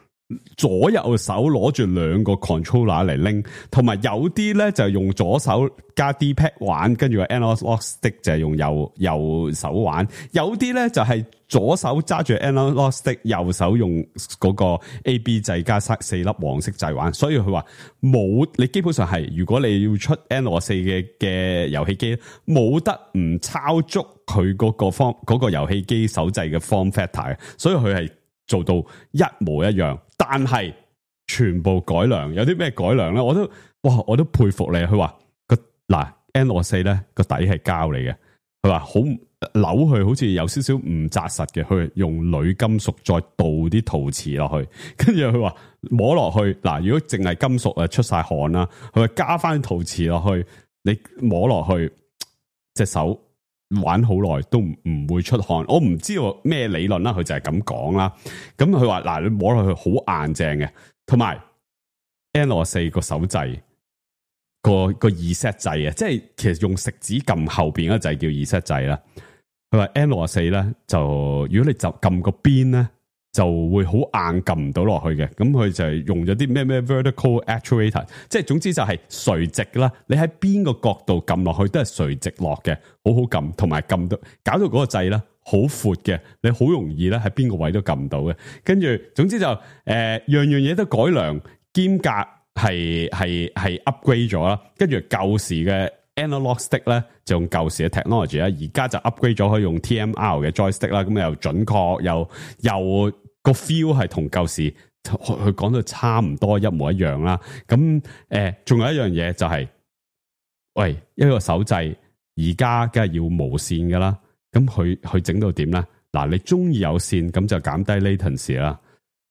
左右手攞住兩個 controller 嚟拎，同埋有啲咧就用左手加 D-pad 玩，跟住個 analog stick 就係用右右手玩，有啲咧就係左手揸住 analog stick， 右手用嗰個 A B 掣加四粒黃色掣玩，所以佢話冇，你基本上係如果你要出 N 六十四嘅嘅遊戲機，冇得唔抄足佢嗰個方嗰個遊戲機手掣嘅 form factor， 所以佢係做到一模一樣，但係全部改良。有啲咩改良咧？我都哇，我都佩服你。佢話個嗱 N 六十四咧個底係膠嚟嘅，佢話好扭去，好似有少少唔紮實嘅，佢用鋁金屬再倒啲陶瓷落去，跟住佢話摸落去嗱，如果淨係金屬啊出晒汗啦，佢話加翻陶瓷落去，你摸落去隻手玩好耐都唔唔會出汗，我唔知道咩理論啦，佢就係咁講啦。咁佢話嗱，你摸落去好硬淨嘅，同埋 N 六十四個手掣個個 reset 掣啊，即係其實用食指撳後邊嗰掣叫 reset 掣啦。佢話 N 六十四咧就如果你就撳個邊咧就會好硬撳唔到落去嘅，咁佢就係用咗啲咩咩 vertical actuator， 即係總之就係垂直啦。你喺邊個角度撳落去都係垂直落嘅，好好撳，同埋撳到搞到嗰個掣咧好闊嘅，你好容易咧喺邊個位都撳到嘅。跟住總之就誒、呃、樣樣嘢都改良兼夾係係係 upgrade 咗啦，跟住舊時嘅 analog stick 咧就用舊時嘅 technology 啦，而家就 upgrade 咗可以用 T M R 嘅 joystick 啦，咁又準確又又個 feel 係同舊時佢講到差唔多一模一樣啦。咁誒仲有一樣嘢就係、是，喂一個手掣而家梗係要無線噶啦，咁佢佢整到點咧？嗱，你中意有線咁就減低 latency 啦。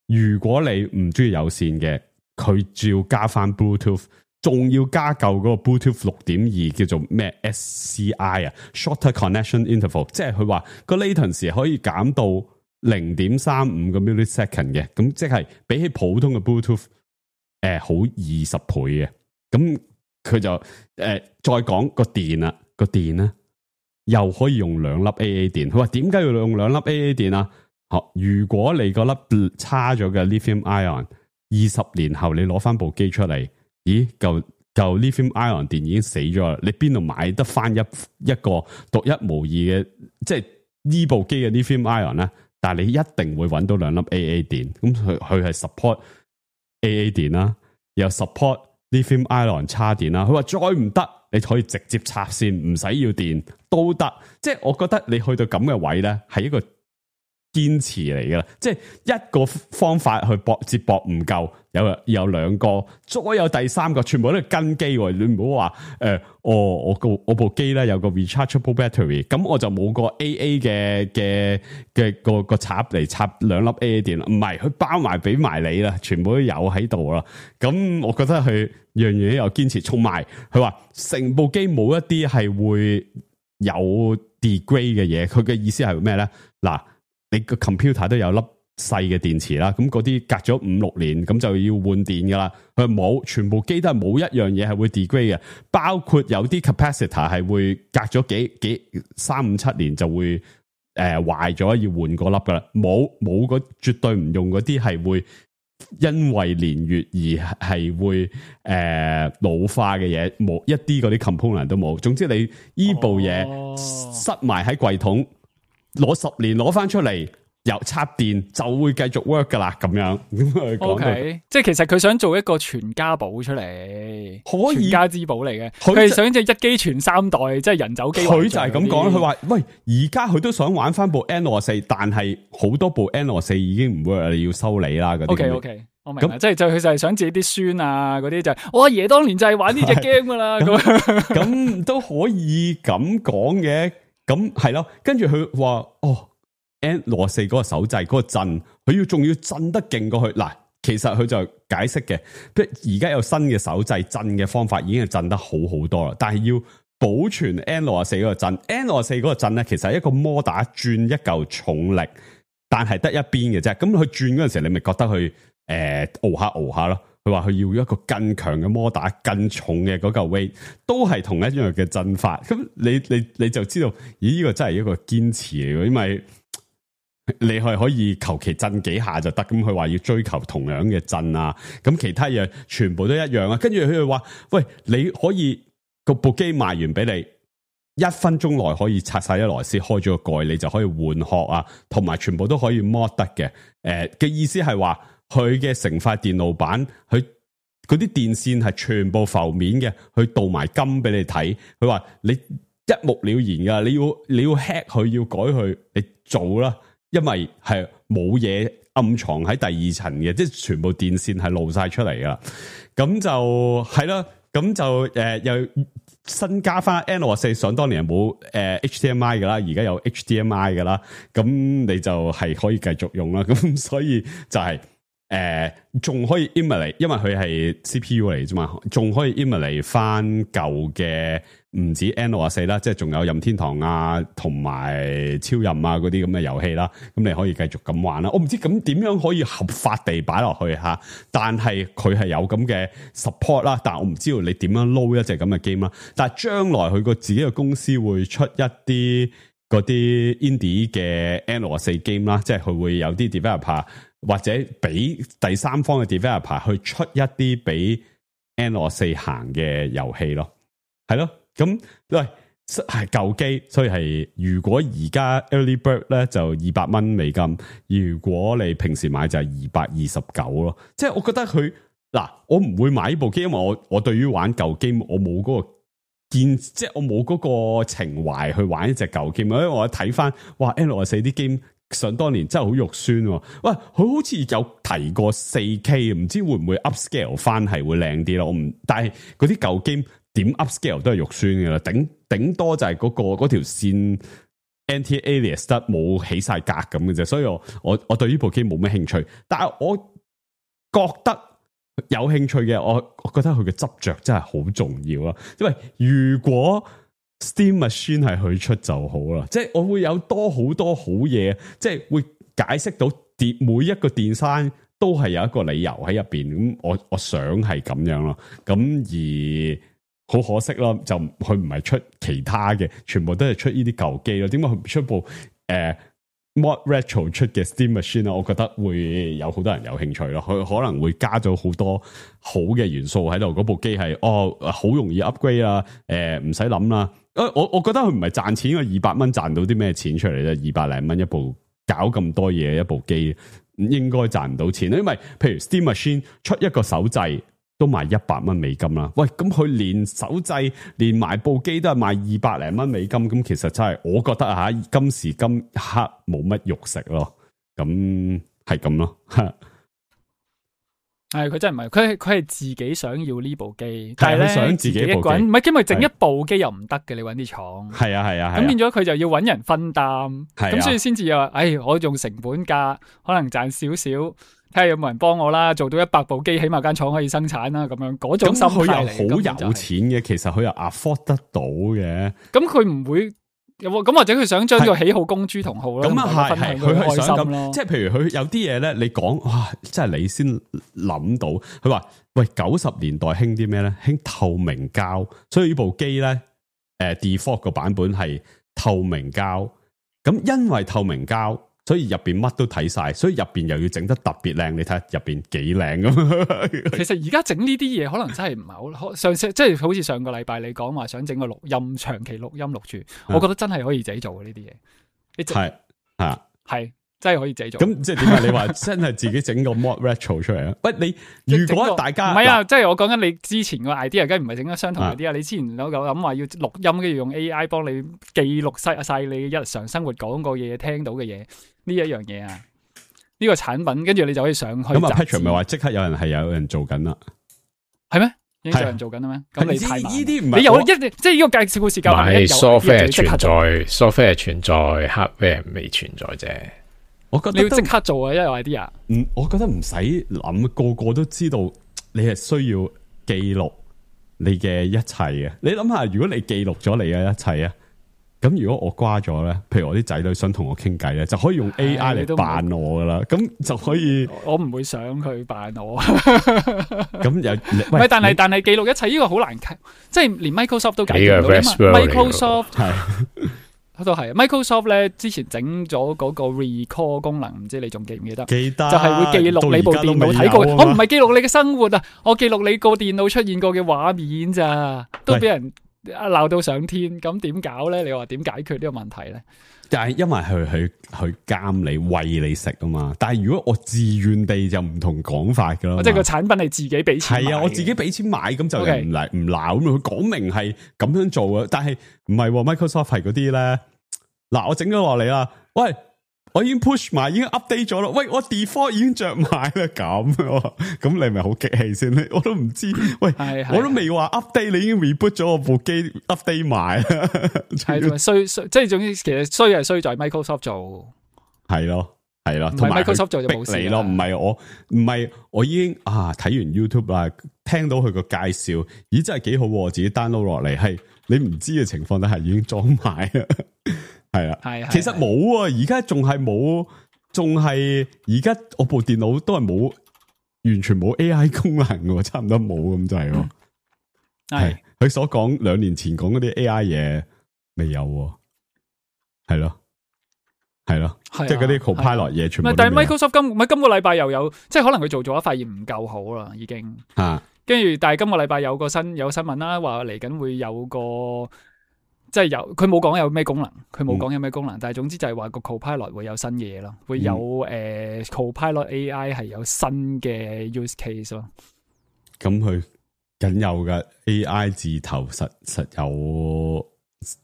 如果你唔中意有線嘅，佢照加翻 Bluetooth， 仲要加舊嗰個 Bluetooth 六點二叫做咩 S C I 啊 ，Shorter Connection Interval， 即係佢話個 latency 可以減到零點三五個 millisecond 嘅，咁即係比起普通嘅 Bluetooth 誒、呃、好二十倍嘅。咁佢就誒、呃、再講個電啊，個電咧又可以用兩粒 A A 電。佢話點解要用兩粒 A A 電啊？好，如果你個粒差咗嘅 lithium ion， 二十年後你攞翻部機出嚟，咦，舊舊 lithium ion 電已經死咗啦，你邊度買得翻一一個獨一無二嘅，即係呢部機嘅 lithium ion 咧？但係你一定會揾到兩粒 A A 電，咁佢佢係 support A A 電啦，又 support lithium ion 叉電啦。佢話再唔得，你可以直接插線，唔使要電都得。即係我覺得你去到咁嘅位咧，係一個堅持嚟噶啦，即係一個方法去駁接駁唔夠，有有兩個，再有第三個，全部都係跟機。你唔好話誒，我我個我部機咧有個 rechargeable battery， 咁我就冇個 A A 嘅嘅嘅個個插嚟插兩粒 A A 電啦。唔係，佢包埋俾埋你啦，全部都有喺度啦。咁我覺得佢樣樣有堅持，同埋佢話成部機冇一啲係會有 degrade 嘅嘢。佢嘅意思係咩咧？嗱。你個 computer 都有粒細嘅電池啦，咁嗰啲隔咗五六年咁就要換電噶啦。佢冇，全部機都係冇一樣嘢係會 degrade 嘅，包括有啲 capacitor 係會隔咗幾幾三五七年就會誒壞咗，要換嗰粒噶啦。冇冇嗰絕對唔用嗰啲係會因為年月而係會誒、呃、老化嘅嘢，冇一啲嗰啲 component 都冇。總之你依部嘢塞埋喺櫃桶。攞十年攞翻出嚟，又插電就會繼續 work 噶啦，咁樣。O、okay, K， 即係其實佢想做一個全家寶出嚟，可以全家之寶嚟嘅。佢係想即係一機全三代，即係人走機。佢就係咁講，佢話喂，而家佢都想玩翻部 N 六十四，但係好多部 N 六十四已經唔 work，你要修理啦嗰啲。O K O K， 我明。咁即係就佢就係想自己啲孫啊嗰啲就係、是，我阿爺當年就係玩呢隻 game 噶啦。咁都可以咁講嘅。咁係咯，跟住佢話哦 ，N 六十四嗰個手掣嗰個震，佢要仲要震得勁過去。嗱，其實佢就解釋嘅，即係而家有新嘅手掣震嘅方法，已經係震得好好多啦。但係要保存 N 六十四嗰個震 ，N 六十四嗰個震咧，其實係一個摩打轉一嚿重力，但係得一邊嘅啫。咁佢轉嗰陣時，你咪覺得佢誒熬下熬下咯。佢話佢要一個更強嘅摩打，更重嘅嗰嚿 weight， 都係同一樣嘅震法。咁你你你就知道，咦？呢個真係一個堅持嚟嘅，因為你係可以求其震幾下就得。咁佢話要追求同樣嘅震啊，咁其他嘢全部都一樣啊。跟住佢就話：喂，你可以個部機賣完俾你，一分鐘內可以拆晒一螺絲，開咗個蓋，你就可以換殼啊，同埋全部都可以 mod 得嘅。誒、呃、嘅意思係話。佢嘅成塊電路板，佢嗰啲電線係全部浮面嘅，佢鍍埋金俾你睇。佢話你一目了然噶，你要你要 hack 佢，要改佢，你做啦，因為係冇嘢暗藏喺第二層嘅，即係全部電線係露晒出嚟噶。咁就係啦，咁就誒、呃、又新加翻 N 六十四，想當年冇誒 H D M I 噶啦，而家有 H D M I 噶啦，咁你就係可以繼續用啦。咁所以就係、是。誒，仲、呃、可以 emulate， 因為佢係 C P U 嚟啫嘛，仲可以 emulate 翻舊嘅，唔止 N 六十四啦，即係仲有任天堂啊，同埋超任啊嗰啲咁嘅遊戲啦，咁你可以繼續咁玩啦。我唔知咁點樣可以合法地擺落去吓，但係佢係有咁嘅 support 啦，但係我唔知道你點樣撈一隻咁嘅 game 啦。但係將來佢個自己嘅公司會出一啲嗰啲 indie 嘅 N 六十四 game 啦，即係佢會有啲 developer。或者俾第三方嘅 developer 去出一啲俾 N 六十四行嘅遊戲咯，係咯，咁喂係舊機，所以係如果而家 early bird 咧就二百蚊美金，如果你平時買就係二百二十九咯，即係我覺得佢嗱，我唔會買呢部機，因為我我對於玩舊機我冇嗰個見，即係我冇嗰個情懷去玩一隻舊機。因為我睇翻，哇 L 四啲 game 想當年真係好肉酸喎。喂，佢好似有提過四 K， 唔知會唔會 upscale 翻係會靚啲咯？我唔，但係嗰啲舊 game 點 upscale 都係肉酸嘅啦，頂頂多就係嗰、嗰個嗰條線 anti-alias 得冇起晒格咁嘅啫。所以我我我對呢部機冇咩興趣，但係我覺得有興趣嘅，我我覺得佢嘅執着真係好重要啦。因為如果 Steam Machine 係佢出就好啦，即係我會有多好多好嘢，即係會解釋到電每一個 design 都係有一個理由喺入邊。咁我我想係咁樣咯。咁而好可惜咯，就佢唔係出其他嘅，全部都係出呢啲舊機咯。點解佢唔出部誒？呃Mod Retro 出嘅 Steam Machine 我覺得會有好多人有興趣咯。佢可能會加咗好多好嘅元素喺度。嗰部機係哦好容易 upgrade 啊，誒唔使諗啦。誒我我覺得佢唔係賺錢，二百蚊賺到啲咩錢出嚟啫？二百零蚊一部搞咁多嘢一部機，應該賺唔到錢。因為譬如 Steam Machine 出一個手掣都賣一百蚊美金啦。喂，咁佢連手掣連埋部機都係賣二百零蚊美金，咁其實真係我覺得啊吓，今時今刻冇乜肉食咯。咁係咁咯。係佢真係唔係，佢係佢係自己想要呢部機，但係咧想自己一個人，唔係因為整一部機又唔得嘅，你搵啲廠。係啊係啊，咁變咗佢就要搵人分擔，咁所以先至又話，唉，我用成本價可能賺少少，睇下有冇人幫我啦，做到一百部機，起碼間廠可以生產啦，咁樣嗰種心態嚟。咁佢又好有錢嘅，其實佢又 afford 得到嘅。咁佢唔會。咁或者佢想將呢個喜好公諸同好咯，咁啊係係佢係想咁，即係譬如佢有啲嘢咧，你講哇，即係你先諗到。佢話喂，九十年代興啲咩咧？興透明膠，所以呢部機咧，誒、呃、default 個版本係透明膠。咁因為透明膠，所以入邊乜都睇晒，所以入邊又要整得特別靚。你睇下入邊幾靚咁。其實而家整呢啲嘢可能真係唔係好上次，即係好似上個禮拜你講話想整個錄音長期錄音錄住，我覺得真係可以自己做嘅呢啲嘢。你係係係真係可以自己做。咁即係點解你話真係自己整個 mod retro 出嚟啊？喂，你如果大家唔係啊，即係我講緊你之前個 idea，梗係唔係整咗相同 idea 啊？你之前有有諗話要錄音，跟住用 A I 幫你記錄晒晒你日常生活講過嘢、聽到嘅嘢。呢一樣嘢啊，呢、這個產品跟住你就可以上去。咁啊 Patrick 咪話即刻有人係有人做緊啦，係咩？已經有人做緊啦咩？咁你太慢。呢啲唔係你有一即係呢個介紹故事夠係 software 存在 ，software 存在 ，hardware 未存在啫。我覺得你要即刻做啊，因為 idea。嗯，我覺得唔使諗，個個都知道你係需要記錄你嘅一切嘅。你諗下，如果你記錄咗你嘅一切啊。咁如果我瓜咗咧，譬如我啲仔女想同我傾偈咧，就可以用 A I 嚟扮我噶啦，咁就可以。我唔會想佢扮我。咁又唔係，但係但係記錄一切呢個好難，即係連 Microsoft 都解決唔到。Microsoft 係都係 Microsoft 咧，之前整咗嗰個 recall 功能，唔知你仲記唔記得？記得就係會記錄你部電腦睇過。我唔係記錄你嘅生活啊，我記錄你個電腦出現過嘅畫面咋，都俾人。鬧到上天，咁點搞咧？你話點解決呢個問題咧？但係因為佢去去監你餵你食啊嘛。但係如果我自願地就唔同講法噶啦，即係個產品係自己俾錢買。係啊，我自己俾錢買，咁就唔嚟唔鬧咁。佢講明係咁樣做啊，但係唔係 Microsoft 係嗰啲咧。嗱，我整咗落嚟啦，喂。我已經 push 埋，已經 update 咗啦。喂，我 default 已經着埋啦，咁咁你咪好激氣先咧？我都唔知，喂，我都未話 update，你已經 reboot 咗我部機 update 埋啦。係衰衰，即係總之，其實衰係衰在 Microsoft 做，係咯，係咯，同埋 Microsoft 做就冇事咯。唔係我，唔係我已經啊睇完 YouTube 啦，聽到佢個介紹，咦真係幾好，我自己 download 落嚟，係你唔知嘅情況底下已經裝埋啦。係啊，係其實冇啊，而家仲係冇，仲係而家我部電腦都係冇，完全冇 A I 功能嘅，差唔多冇咁滯咯。係佢所講兩年前講嗰啲 A I 嘢未有，係咯，係咯，即係嗰啲 Copilot 嘢全部。但係 Microsoft 今咪今個禮拜又有，即係可能佢做咗發現唔夠好啦，已經。啊，跟住但係今個禮拜有個新有新聞啦，話嚟緊會有個。即係有，佢冇講有咩功能，佢冇講有咩功能，嗯、但係總之就係話個 Copilot 會有新嘢咯，會有誒、嗯呃、Copilot A I 係有新嘅 use case 咯。咁佢僅有嘅 A I 字頭實實有，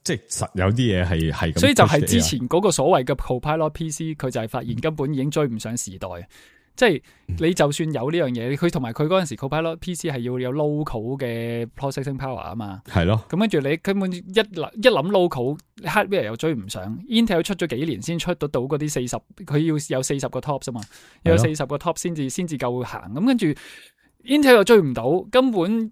即係實有啲嘢係係咁。所以就係之前嗰個所謂嘅 Copilot P C， 佢就係發現根本已經追唔上時代。即係你就算有呢樣嘢，佢同埋佢嗰陣時 Copilot P C 係要有 local 嘅 processing power 啊嘛。係咯。咁跟住你根本一諗一諗 local hardware 又追唔上 ，Intel 出咗幾年先出得到嗰啲四十，佢要有四十個 tops 啊嘛，要有四十個 top 先至先至夠行。咁跟住 Intel 又追唔到，根本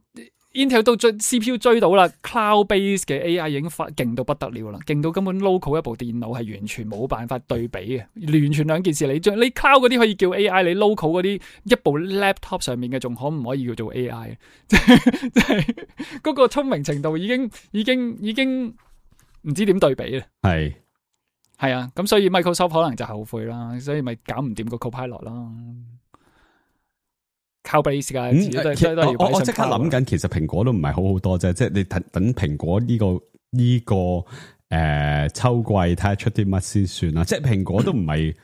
Intel 都追 C P U 追到啦 ，cloud base 嘅 A I 已經發勁到不得了啦，勁到根本 local 一部電腦係完全冇辦法對比嘅，完全兩件事。你將你 cloud 嗰啲可以叫 A I， 你 local 嗰啲一部 laptop 上面嘅仲可唔可以叫做 A I？ 即係即係嗰個聰明程度已經已經已經唔知點對比啦。係係啊，咁所以 Microsoft 可能就後悔啦，所以咪搞唔掂個 Copilot 啦。靠 base 噶，嗯、我我即刻諗緊，其實蘋果都唔係好好多啫，即係你等等蘋果呢、這個呢、這個誒、呃、秋季睇下出啲乜先算啦。即係蘋果都唔係，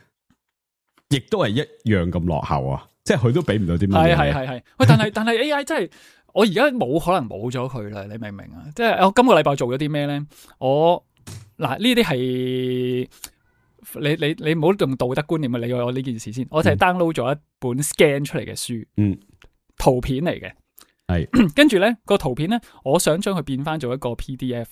亦都係一樣咁落後啊！即係佢都俾唔到啲乜嘢。係係係係，喂，但係但係 A I 真係，我而家冇可能冇咗佢啦，你明唔明啊？即係我今個禮拜做咗啲咩咧？我嗱呢啲係。你你你唔好用道德觀念去理我呢件事先，我就係 download 咗一本 scan 出嚟嘅書，嗯，圖片嚟嘅，係，跟住咧個圖片咧，我想將佢變翻做一個 P D F，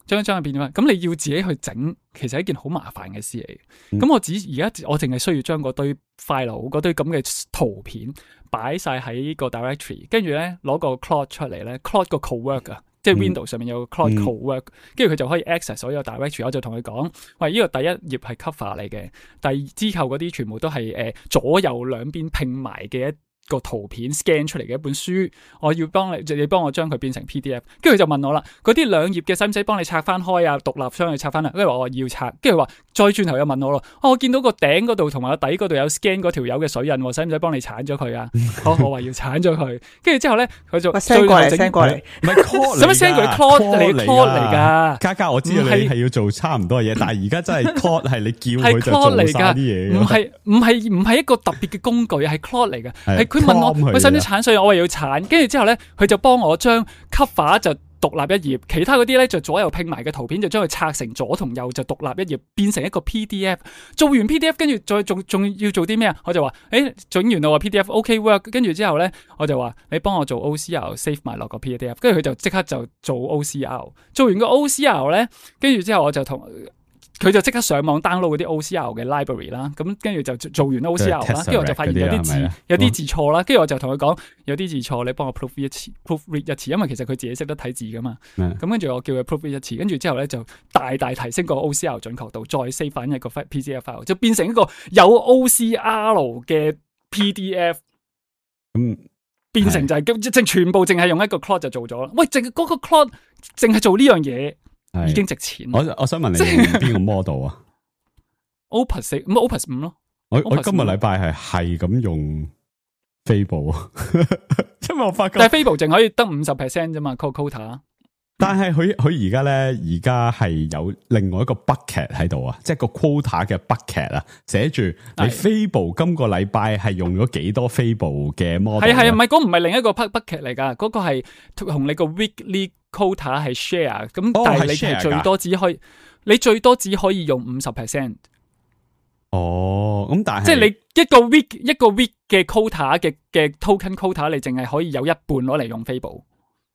將將佢變翻，咁你要自己去整，其實係一件好麻煩嘅事嚟。咁、嗯、我只而家我淨係需要將嗰堆 file 嗰堆咁嘅圖片擺晒喺個 directory， 跟住咧攞個 Claude 出嚟咧 ，Claude 個 cowork 啊。即係 Windows 上面有個 Claude Cowork，跟住佢就可以 access 所有 directory。我就同佢講，喂，呢、這個第一頁係 cover 嚟嘅，第二之後嗰啲全部都係誒、呃、左右兩邊拼埋嘅一個圖片 scan 出嚟嘅一本書，我要幫你，你幫我將佢變成 P D F。跟住佢就問我啦，嗰啲兩頁嘅使唔使幫你拆翻開啊？獨立將佢拆翻啦。跟住我話要拆，跟住話再轉頭又問我咯、哦，我見到個頂嗰度同埋個底嗰度有 scan 嗰條友嘅水印，使唔使幫你鏟咗佢啊？好，我話要鏟咗佢。跟住之後咧，佢就 send 過嚟 send 過嚟，唔係 call 使乜 send 佢 call 嚟 call 嚟噶？嘉嘉，我知道你係要做差唔多嘅嘢，但係而家真係 call 係你叫佢就做晒啲嘢，唔係唔係唔係一個特別嘅工具，係 call 嚟嘅，係佢問我佢使唔使鏟水，我話要鏟，跟住之後咧，佢就幫我將 cover 就獨立一頁，其他嗰啲咧就左右拼埋嘅圖片就將佢拆成左同右就獨立一頁，變成一個 P D F。做完 P D F 跟住再仲仲要做啲咩啊？我就話誒，整完啦，話 P D F OK work， 跟住之後咧我就話你幫我做 O C R save 埋落個 P D F， 跟住佢就即刻就做 O C R。做完個 O C R 咧，跟住之後我就同。佢就即刻上網 download 嗰啲 O C R 嘅 library 啦，咁跟住就做完 O C R 啦，跟住我就發現有啲字有啲字錯啦，跟住我就同佢講有啲字錯，你幫我 proof 一次 proof read 一次，因為其實佢自己識得睇字噶嘛，咁跟住我叫佢 proof read 一次，跟住之後咧就大大提升個 O C R 準確度，再 save 翻一個 P D F file， 就變成一個有 O C R 嘅 P D F， 咁變成就係即係全部淨係用一個 Claude 就做咗啦。喂，淨係嗰個 Claude 淨係做呢樣嘢。已經值錢。我我想問你用邊個 model 啊？Opus 四咁 Opus 五咯。我我今個禮拜係係咁用 Fable 啊，因為我發覺但係 Fable 淨可以得五十 percent 啫嘛 ，quota。但係佢佢而家咧，而家係有另外一個 bucket 喺度啊，即係個 quota 嘅 bucket 啊，寫住你 Fable 今個禮拜係用咗幾多 Fable 嘅 model？ 係係唔係嗰唔係另一個 bucket 嚟噶？嗰、嗰個係同你個 weekly quota 係 share， 咁但係你係最多只可以，你最多只可以用五十 percent。哦，咁但係即係你一個 week 一個 week 嘅 quota 嘅嘅 token quota， 你淨係可以有一半攞嚟用 Fable。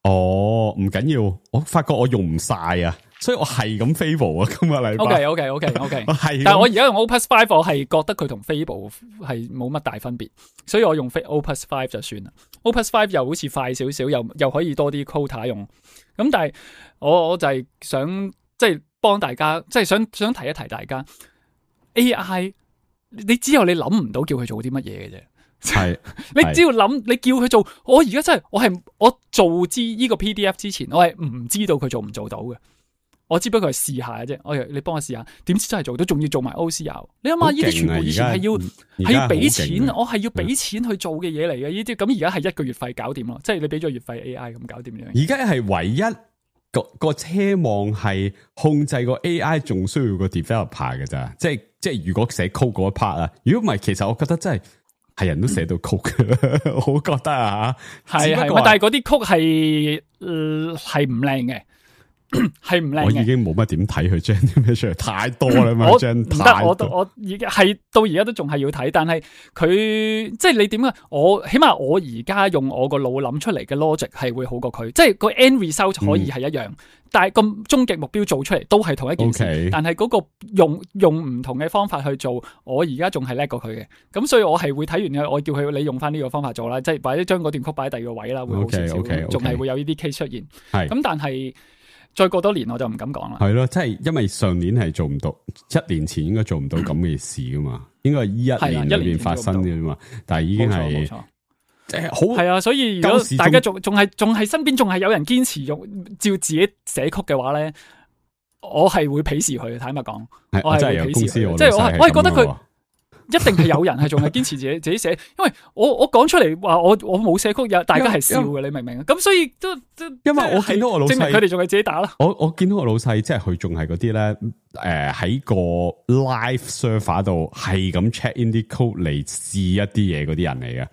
哦，唔緊要，我發覺我用唔晒啊，所以我係咁 Fable 啊，今個禮拜。O K O K O K O K， 但係我而家用 Opus Five， 我係覺得佢同 Fable 係冇乜大分別，所以我用 Opus Five 就算啦。Opus Five 又好似快少少，又又可以多啲 quota 用。咁但係我我就係想即係幫大家，即係想想提一提大家 A I， 你只有你諗唔到叫佢做啲乜嘢嘅啫。係，你只要諗，你叫佢做，我而家真係，我係我做知呢個 P D F 之前，我係唔知道佢做唔做到嘅，我只不過係試下嘅啫。我你幫我試下，點知真係做到，仲要做埋 O C R。你諗下，呢啲全部以前係要係要俾錢，我係要俾錢去做嘅嘢嚟嘅。呢啲咁而家係一個月費搞掂咯，即係你俾咗月費 A I 咁搞掂樣。而家係唯一個個奢望係控制個 A I， 仲需要個 developer 嘅咋，即係即係如果寫 code 嗰一 part 啊，如果唔係，其實我覺得真係。係人都寫到曲嘅，我覺得啊，係係，但係嗰啲曲係係唔靚嘅。係唔靚嘅，我已經冇乜點睇佢將啲咩出嚟，太多啦嘛，我將唔得，我我而家係到而家都仲係要睇，但係佢即係你點啊？我起碼我而家用我個腦諗出嚟嘅 logic 係會好過佢，即係個 end result 可以係一樣，嗯、但係個終極目標做出嚟都係同一件事，okay. 但係嗰個用用唔同嘅方法去做，我而家仲係叻過佢嘅，咁所以我係會睇完嘅，我叫佢你用翻呢個方法做啦，即係或者將嗰段曲擺喺第二個位啦，會好少少，仲、okay, 係、okay, okay. 會有呢啲 case 出現，係咁，但係。再過多年我就唔敢講啦。係咯，即係因為上年係做唔到，一年前應該做唔到咁嘅事噶嘛，應該係呢一年裏邊發生嘅嘛。但係已經係即係好係啊，所以如果大家仲仲係仲係身邊仲係有人堅持用照自己寫曲嘅話咧，我係會鄙視佢。坦白講，我係會鄙視佢，即係我係我係覺得佢。一定係有人係仲係堅持自己自己寫，因為我我講出嚟話我我冇寫曲，有大家係笑嘅，你明唔明啊？咁所以都都因為我見到我老細，證明佢哋仲係自己打啦。我我見到我老細，即係佢仲係嗰啲咧，誒、呃、喺個 live server 度係咁 check in 啲 code 嚟試一啲嘢嗰啲人嚟嘅。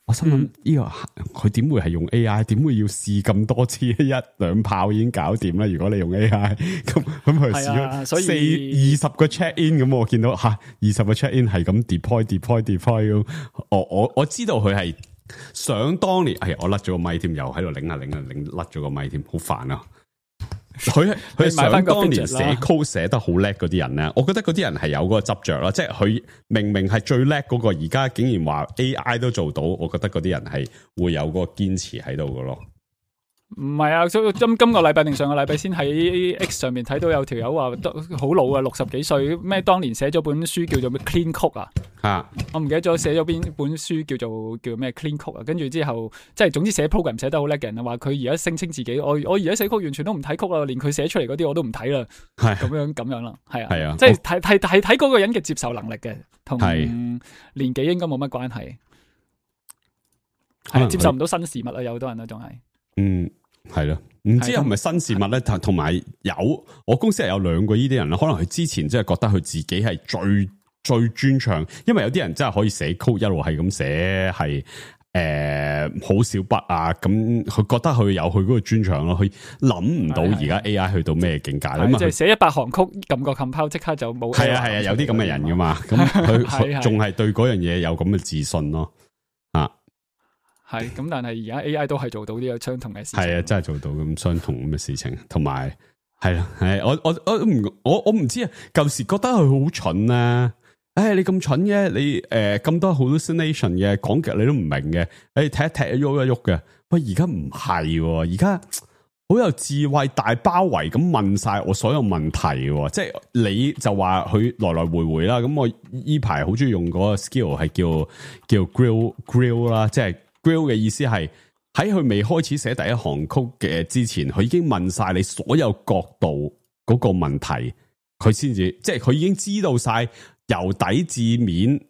我心諗呢、嗯這個佢點會係用 A I？ 點會要試咁多次？一兩炮已經搞掂啦！如果你用 A I， 咁咁佢試咗四二十個 check in， 咁我見到吓二十個 check in 係咁 deploy deploy deploy 咁。我我我知道佢係想當年，係我甩咗個咪添，又喺度擰下擰下擰甩咗個咪添，好煩啊！佢佢想當年寫 code 寫得好叻嗰啲人咧，我覺得嗰啲人係有嗰個執着啦，即係佢明明係最叻嗰個，而家竟然話 A I 都做到，我覺得嗰啲人係會有嗰個堅持喺度嘅咯。唔係啊，今今個禮拜定上個禮拜先喺 X 上面睇到有條友話好老啊，六十幾歲，咩當年寫咗本書叫做咩 Clean Code 啊，啊我唔記得咗寫咗邊本書叫做叫咩 Clean Code 啊，跟住之後即係總之寫 program 寫得好叻嘅人啊，話佢而家聲稱自己我我而家寫曲完全都唔睇曲啦，連佢寫出嚟嗰啲我都唔睇啦，係咁樣咁樣啦，係啊，係啊，即係睇睇睇睇嗰個人嘅接受能力嘅，同年紀應該冇乜關係，係接受唔到新事物啊，有好多人都仲係嗯。係咯，唔知係咪新事物咧？同埋有，有我公司係有兩個呢啲人啦。可能佢之前真係覺得佢自己係最最專長，因為有啲人真係可以寫 code 一路係咁寫，係誒好少筆啊。咁佢覺得佢有佢嗰個專長咯。佢諗唔到而家 A I 去到咩境界啦。即係寫一百行曲，撳個 compile 即刻就冇。係啊係啊，有啲咁嘅人噶嘛。咁佢仲係對嗰樣嘢有咁嘅自信咯。啊！係咁，但係而家 A I 都係做到呢個相同嘅事情。係啊，真係做到咁相同咁嘅事情，同埋係啦，係我我我唔我我唔知啊。舊時覺得佢好蠢啊！誒、哎，你咁蠢嘅，你誒咁、呃、多 hallucination 嘅講極你都唔明嘅，誒踢一踢喐一喐嘅。喂，而家唔係，而家好有智慧，大包圍咁問晒我所有問題。即係你就話佢來來回回啦。咁我依排好中意用嗰個 skill 係叫叫 grill grill 啦，即係。Grill 嘅意思係喺佢未開始寫第一行曲嘅之前，佢已經問晒你所有角度嗰個問題，佢先至即係佢已經知道晒由底至面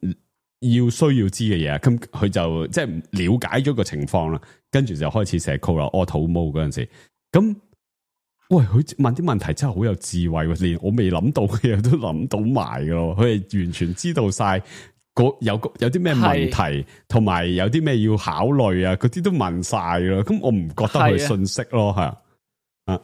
要需要知嘅嘢，咁佢就即係了解咗個情況啦，跟住就開始寫 code 啦。auto mode 嗰陣時，咁喂佢問啲問題真係好有智慧，連我未諗到嘅嘢都諗到埋噶咯，佢係完全知道晒。有有啲咩問題，同埋有啲咩要考慮啊？嗰啲都問晒咯，咁我唔覺得佢信息咯，係啊，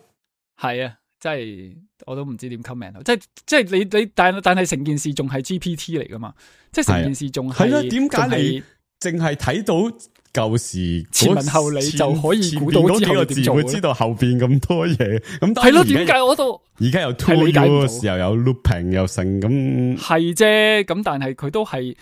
係啊，即係我都唔知點 comment，即係即係你你但但係成件事仲係 G P T 嚟噶嘛？即係成件事仲係，點解你淨係睇到舊時前文後理就可以估到之後點做？會知道後邊咁多嘢，咁係咯？點解我都而家有 tool 又有 looping 又成咁係啫？咁但係佢都係。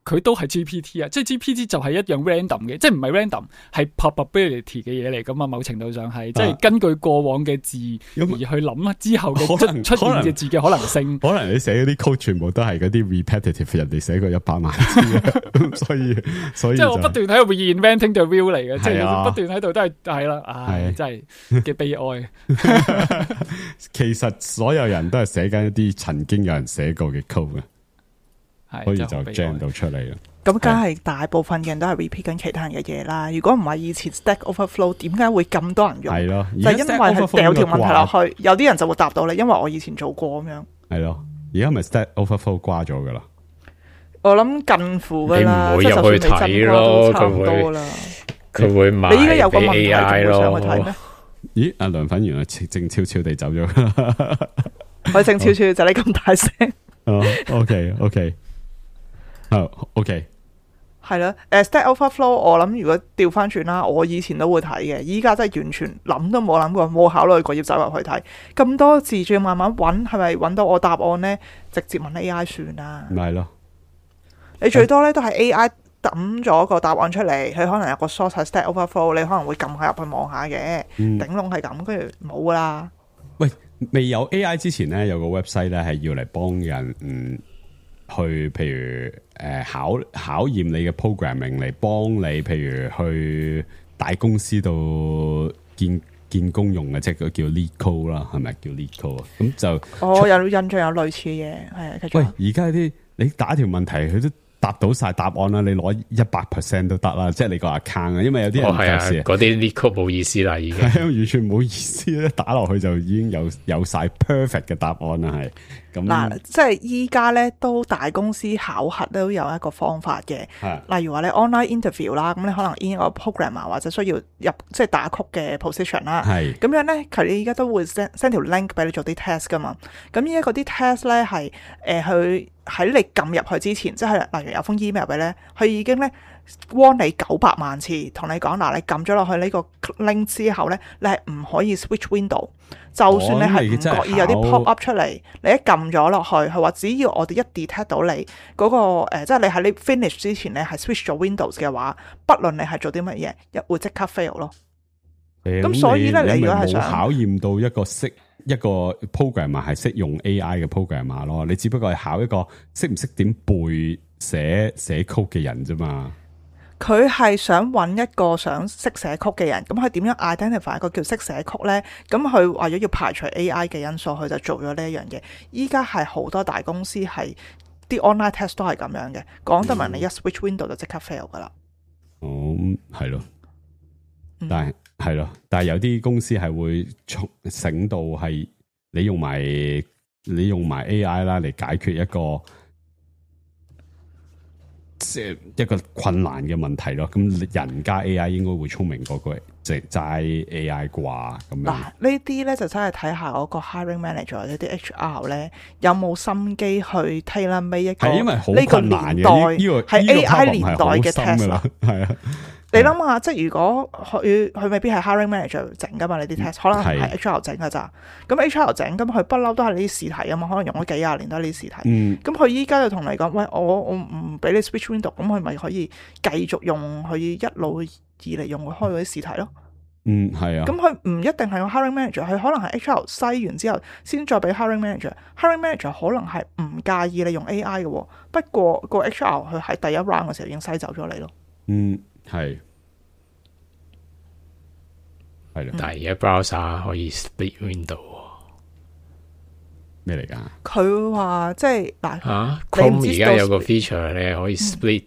佢都係 G P T 啊，即係 G P T 就係一樣 random 嘅，即係唔係 random 係 probability 嘅嘢嚟噶嘛？某程度上係、啊、即係根據過往嘅字而去諗之後嘅出現嘅字嘅可能性。可能，可能你寫嗰啲 code 全部都係嗰啲 repetitive， 人哋寫過一百萬次，所以所以、就是、即係我不斷喺度 reinventing the wheel 嚟嘅，即係不斷喺度都係係啦，唉，真係嘅悲哀。其實所有人都係寫緊一啲曾經有人寫過嘅 code 嘅。可以就 jam 到出嚟啦。咁梗係大部分嘅人都係 repeat 緊其他人嘅嘢啦。如果唔係以前 Stack Overflow 點解會咁多人用？係咯，就係因為係掉條問題落去，有啲人就會答到你，因為我以前做過咁樣。係咯，而家咪 Stack Overflow 掛咗噶啦。我諗近乎噶啦，你唔會入去睇咯，差唔多啦。佢會賣你依家有個問題，仲 A I 會上咯去睇咩？咦，阿梁粉原來靜悄悄地走咗。佢靜悄悄就你咁大聲。哦，OK OK，好 OK。係啦，誒 Stack Overflow，我諗如果調翻轉啦，我以前都會睇嘅，依家真係完全諗都冇諗過，冇考慮過要走入去睇。咁多字，仲要慢慢揾，係咪揾到我答案呢？直接問 A I 算啦。咪係咯，你最多咧都係 A I 抌咗個答案出嚟，佢可能有個 source 係 Stack Overflow，你可能會撳下入去望下嘅，嗯頂籠係咁，跟住冇噶啦。喂，未有 A I 之前咧，有個 website 咧係要嚟幫人嗯去，譬如誒、呃、考考驗你嘅 programming 嚟幫你，譬如去大公司度見見工用嘅，即係叫 lead code 啦，係咪叫 lead code 啊？咁就我有印象有類似嘅嘢，係啊，繼續。喂，而家啲你打條問題，佢都答到晒答案啦，你攞一百 percent 都得啦，即係你個 account 啊，因為有啲人哦係啊，時嗰啲 lead code 冇意思啦，已經係完全冇意思咧，打落去就已經有有晒 perfect 嘅答案啦，係咁嗱，即係依家咧都大公司考核都有一個方法嘅，例如話你 online interview 啦，咁你可能 in 一個 programmer 或者需要入即係打曲嘅 position 啦，係咁樣咧，佢哋依家都會 send send 條 link 俾你做啲 test 噶嘛，咁依家嗰啲 test 咧係誒去喺你撳入去之前，即係例如有封 email 俾咧，佢已經咧 warn 你九百萬次，同你講嗱，你撳咗落去呢個 link 之後咧，你係唔可以 switch window。就算你係唔覺意有啲 pop up 出嚟，你一撳咗落去，佢話只要我哋一 detect 到你嗰、嗰個、呃、即係你喺你 finish 之前咧係 switch 咗 Windows 嘅話，不論你係做啲乜嘢，一會即刻 fail 咯。咁、嗯、所以咧，你如果係想考驗到一個識一個 programmer 係識用 A I 嘅 programmer 咯，你只不過係考一個識唔識點背寫寫 code 嘅人啫嘛。佢係想揾一個想識寫曲嘅人，咁佢點樣 identify 一個叫識寫曲呢？咁佢為咗要排除 A I 嘅因素，佢就做咗呢一樣嘢。依家係好多大公司係啲 online test 都係咁樣嘅，講得明你一 switch window 就即刻 fail 噶啦。哦，係咯，但係係咯，但係有啲公司係會醒到係你用埋你用埋 A I 啦嚟解決一個。即係一個困難嘅問題咯，咁人家 A I 應該會聰明過個即係齋 A I 啩咁樣。嗱，呢啲咧就真係睇下嗰個 hiring manager 或者啲 H R 咧有冇心機去 tailor make 一個係因為好呢個困難年代嘅呢個係 A I 年代嘅 test 啦，係啊。你諗下，即係如果佢佢未必係 hiring manager 整噶嘛？你啲 test 可能係 H R 整噶咋？咁 H R 整，咁佢不嬲都係呢啲試題啊嘛，可能用咗幾廿年都係呢啲試題。咁佢依家就同你講，喂，我我唔俾你 switch window，咁佢咪可以繼續用佢一路以嚟用開嗰啲試題咯。嗯，係啊。咁佢唔一定係用 hiring manager，佢可能係 H R 篩完之後先再俾 hiring manager。hiring manager 可能係唔介意你用 A I 嘅，不過個 H R 佢喺第一 round 嘅時候已經篩走咗你咯。嗯，係。但係而家 browser 可以 split window 咩嚟㗎？佢話即係嗱嚇 Chrome 而家有個 feature 你係可以 split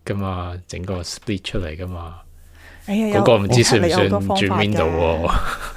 噶嘛，整、嗯、個 split 出嚟噶嘛。嗰、哎嗰個唔知算唔算轉 window 喎？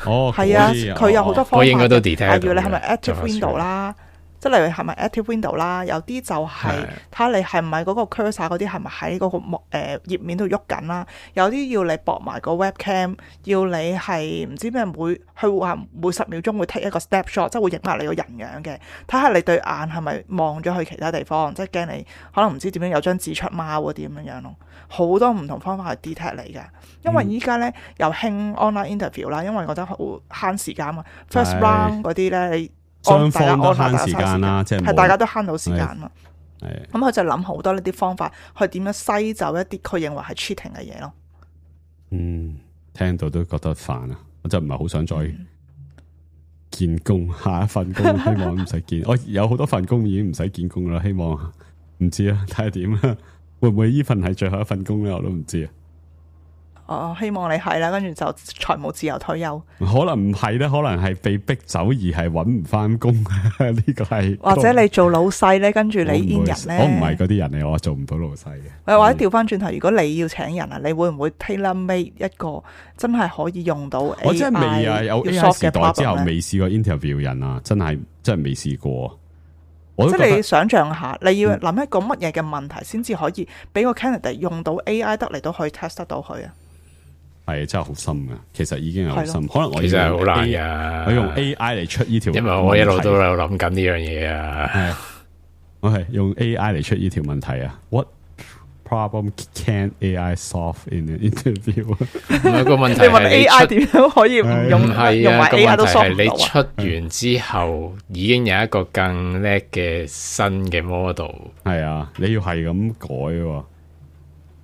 哦，係啊，佢有好多方法。我應該都 detect 例如你係咪 active window 啦？即係例如係咪 active window 啦？有啲就係睇下你係咪嗰個 cursor 嗰啲係咪喺嗰個幕誒頁面度喐緊啦？有啲要你駁埋個 webcam， 要你係唔知咩每佢話每十秒鐘會 take 一個 snapshot， 即係會影埋你個人樣嘅，睇下你對眼係咪望咗去其他地方，即係驚你可能唔知點樣有張字出貓嗰啲咁樣樣咯。好多唔同方法去 detect 你㗎，因為依家咧又興 online interview 啦，因為覺得好慳時間啊。First round 嗰啲咧你。雙方都慳時間啦，即係係大家都慳到時間嘛。係咁佢就諗好多呢啲方法，去點樣篩走一啲佢認為係 cheating 嘅嘢咯。嗯，聽到都覺得煩啊！我真係唔係好想再見工，下一份工希望唔使見。我有好多份工已經唔使見工啦，希望唔知啊，睇下點啊，會唔會呢份係最後一份工咧？我都唔知啊。哦，希望你係啦，跟住就財務自由退休。可能唔係咧，可能係被逼走而係搵唔翻工。呢個係或者你做老細咧，跟住你 in 人咧，我唔係嗰啲人嚟，我做唔到老細嘅。或者調翻轉頭，如果你要請人啊，你會唔會 tailor made 一個真係可以用到 A I？ 我真係未啊，有 A I 時代之後未試過 interview 人啊，真係真係未試過。即係你想象下，你要諗一個乜嘢嘅問題先至可以俾個 candidate 用到 A I 得嚟都可以 test 得到佢啊？係真係好深噶，其實已經係好深。可能我其實係好難噶，我用 A I 嚟出呢條，因為我一路都有諗緊呢樣嘢啊。我係用 A I 嚟出呢條問題啊。What problem can A I solve in an interview？ 個問題你問 A I 點樣可以唔用唔係用埋 A I 都 solve 唔到啊？你出完之後已經有一個更叻嘅新嘅 model。係啊，你要係咁改喎。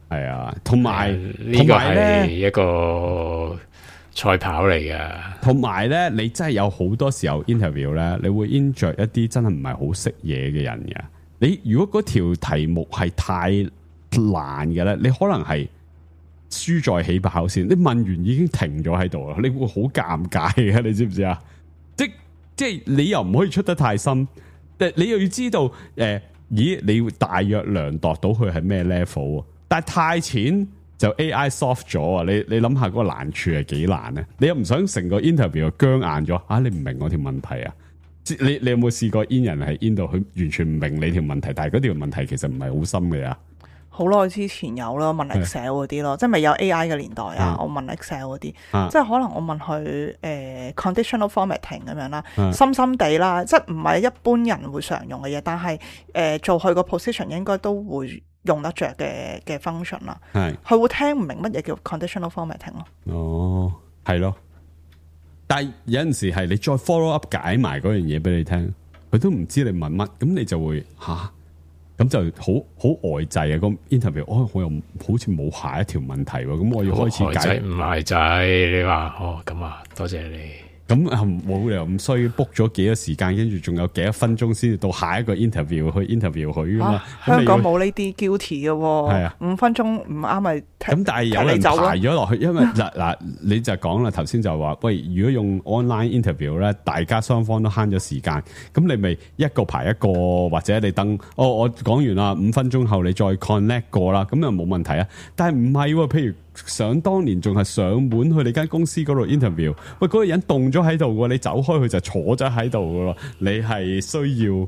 係啊，同埋呢個係一個賽跑嚟噶。同埋咧，你真係有好多時候 interview 咧，你會 injure 一啲真係唔係好識嘢嘅人嘅。你如果嗰條題目係太難嘅咧，你可能係輸在起跑線。你問完已經停咗喺度啦，你會好尷尬嘅，你知唔知啊？即即係你又唔可以出得太深，但你又要知道誒、呃，咦？你會大約量度到佢係咩 level？但係太淺就 A I soft 咗啊！你你諗下嗰個難處係幾難咧？你又唔想成個 interview 僵硬咗啊？你唔明我條問題啊？你你有冇試過 in 人係 in 到佢完全唔明你條問題？但係嗰條問題其實唔係好深嘅啊！好耐之前有啦，問 Excel 嗰啲咯，即係未有 A I 嘅年代啊。我問 Excel 嗰啲，啊、即係可能我問佢誒、呃、conditional formatting 咁樣啦，啊、深深地啦，即係唔係一般人會常用嘅嘢，但係誒、呃、做佢個 position 應該都會用得着嘅嘅 function 啦。係佢會聽唔明乜嘢叫 conditional formatting 咯。哦，係咯。但係有陣時係你再 follow up 解埋嗰樣嘢俾你聽，佢都唔知你問乜，咁你就會吓。咁就好好呆滯啊！個 interview，哦，我又好似冇下一條問題喎，咁我要開始解。唔係仔，你話哦咁啊，多謝你。咁啊冇理由咁衰 book 咗幾多時間，跟住仲有幾多分鐘先至到下一個 interview 去 interview 佢噶嘛？香港冇呢啲 guilty 嘅喎。係啊，五分鐘唔啱咪咁，但係有人排咗落去，因為嗱嗱，你就講啦，頭先就話喂，如果用 online interview 咧，大家雙方都慳咗時間，咁你咪一個排一個，或者你等哦，我講完啦，五分鐘後你再 connect 過啦，咁又冇問題啊。但係唔係喎，譬如想當年仲係上門去你間公司嗰度 interview， 喂，嗰個人凍咗喺度嘅，你走開佢就坐咗喺度嘅咯，你係需要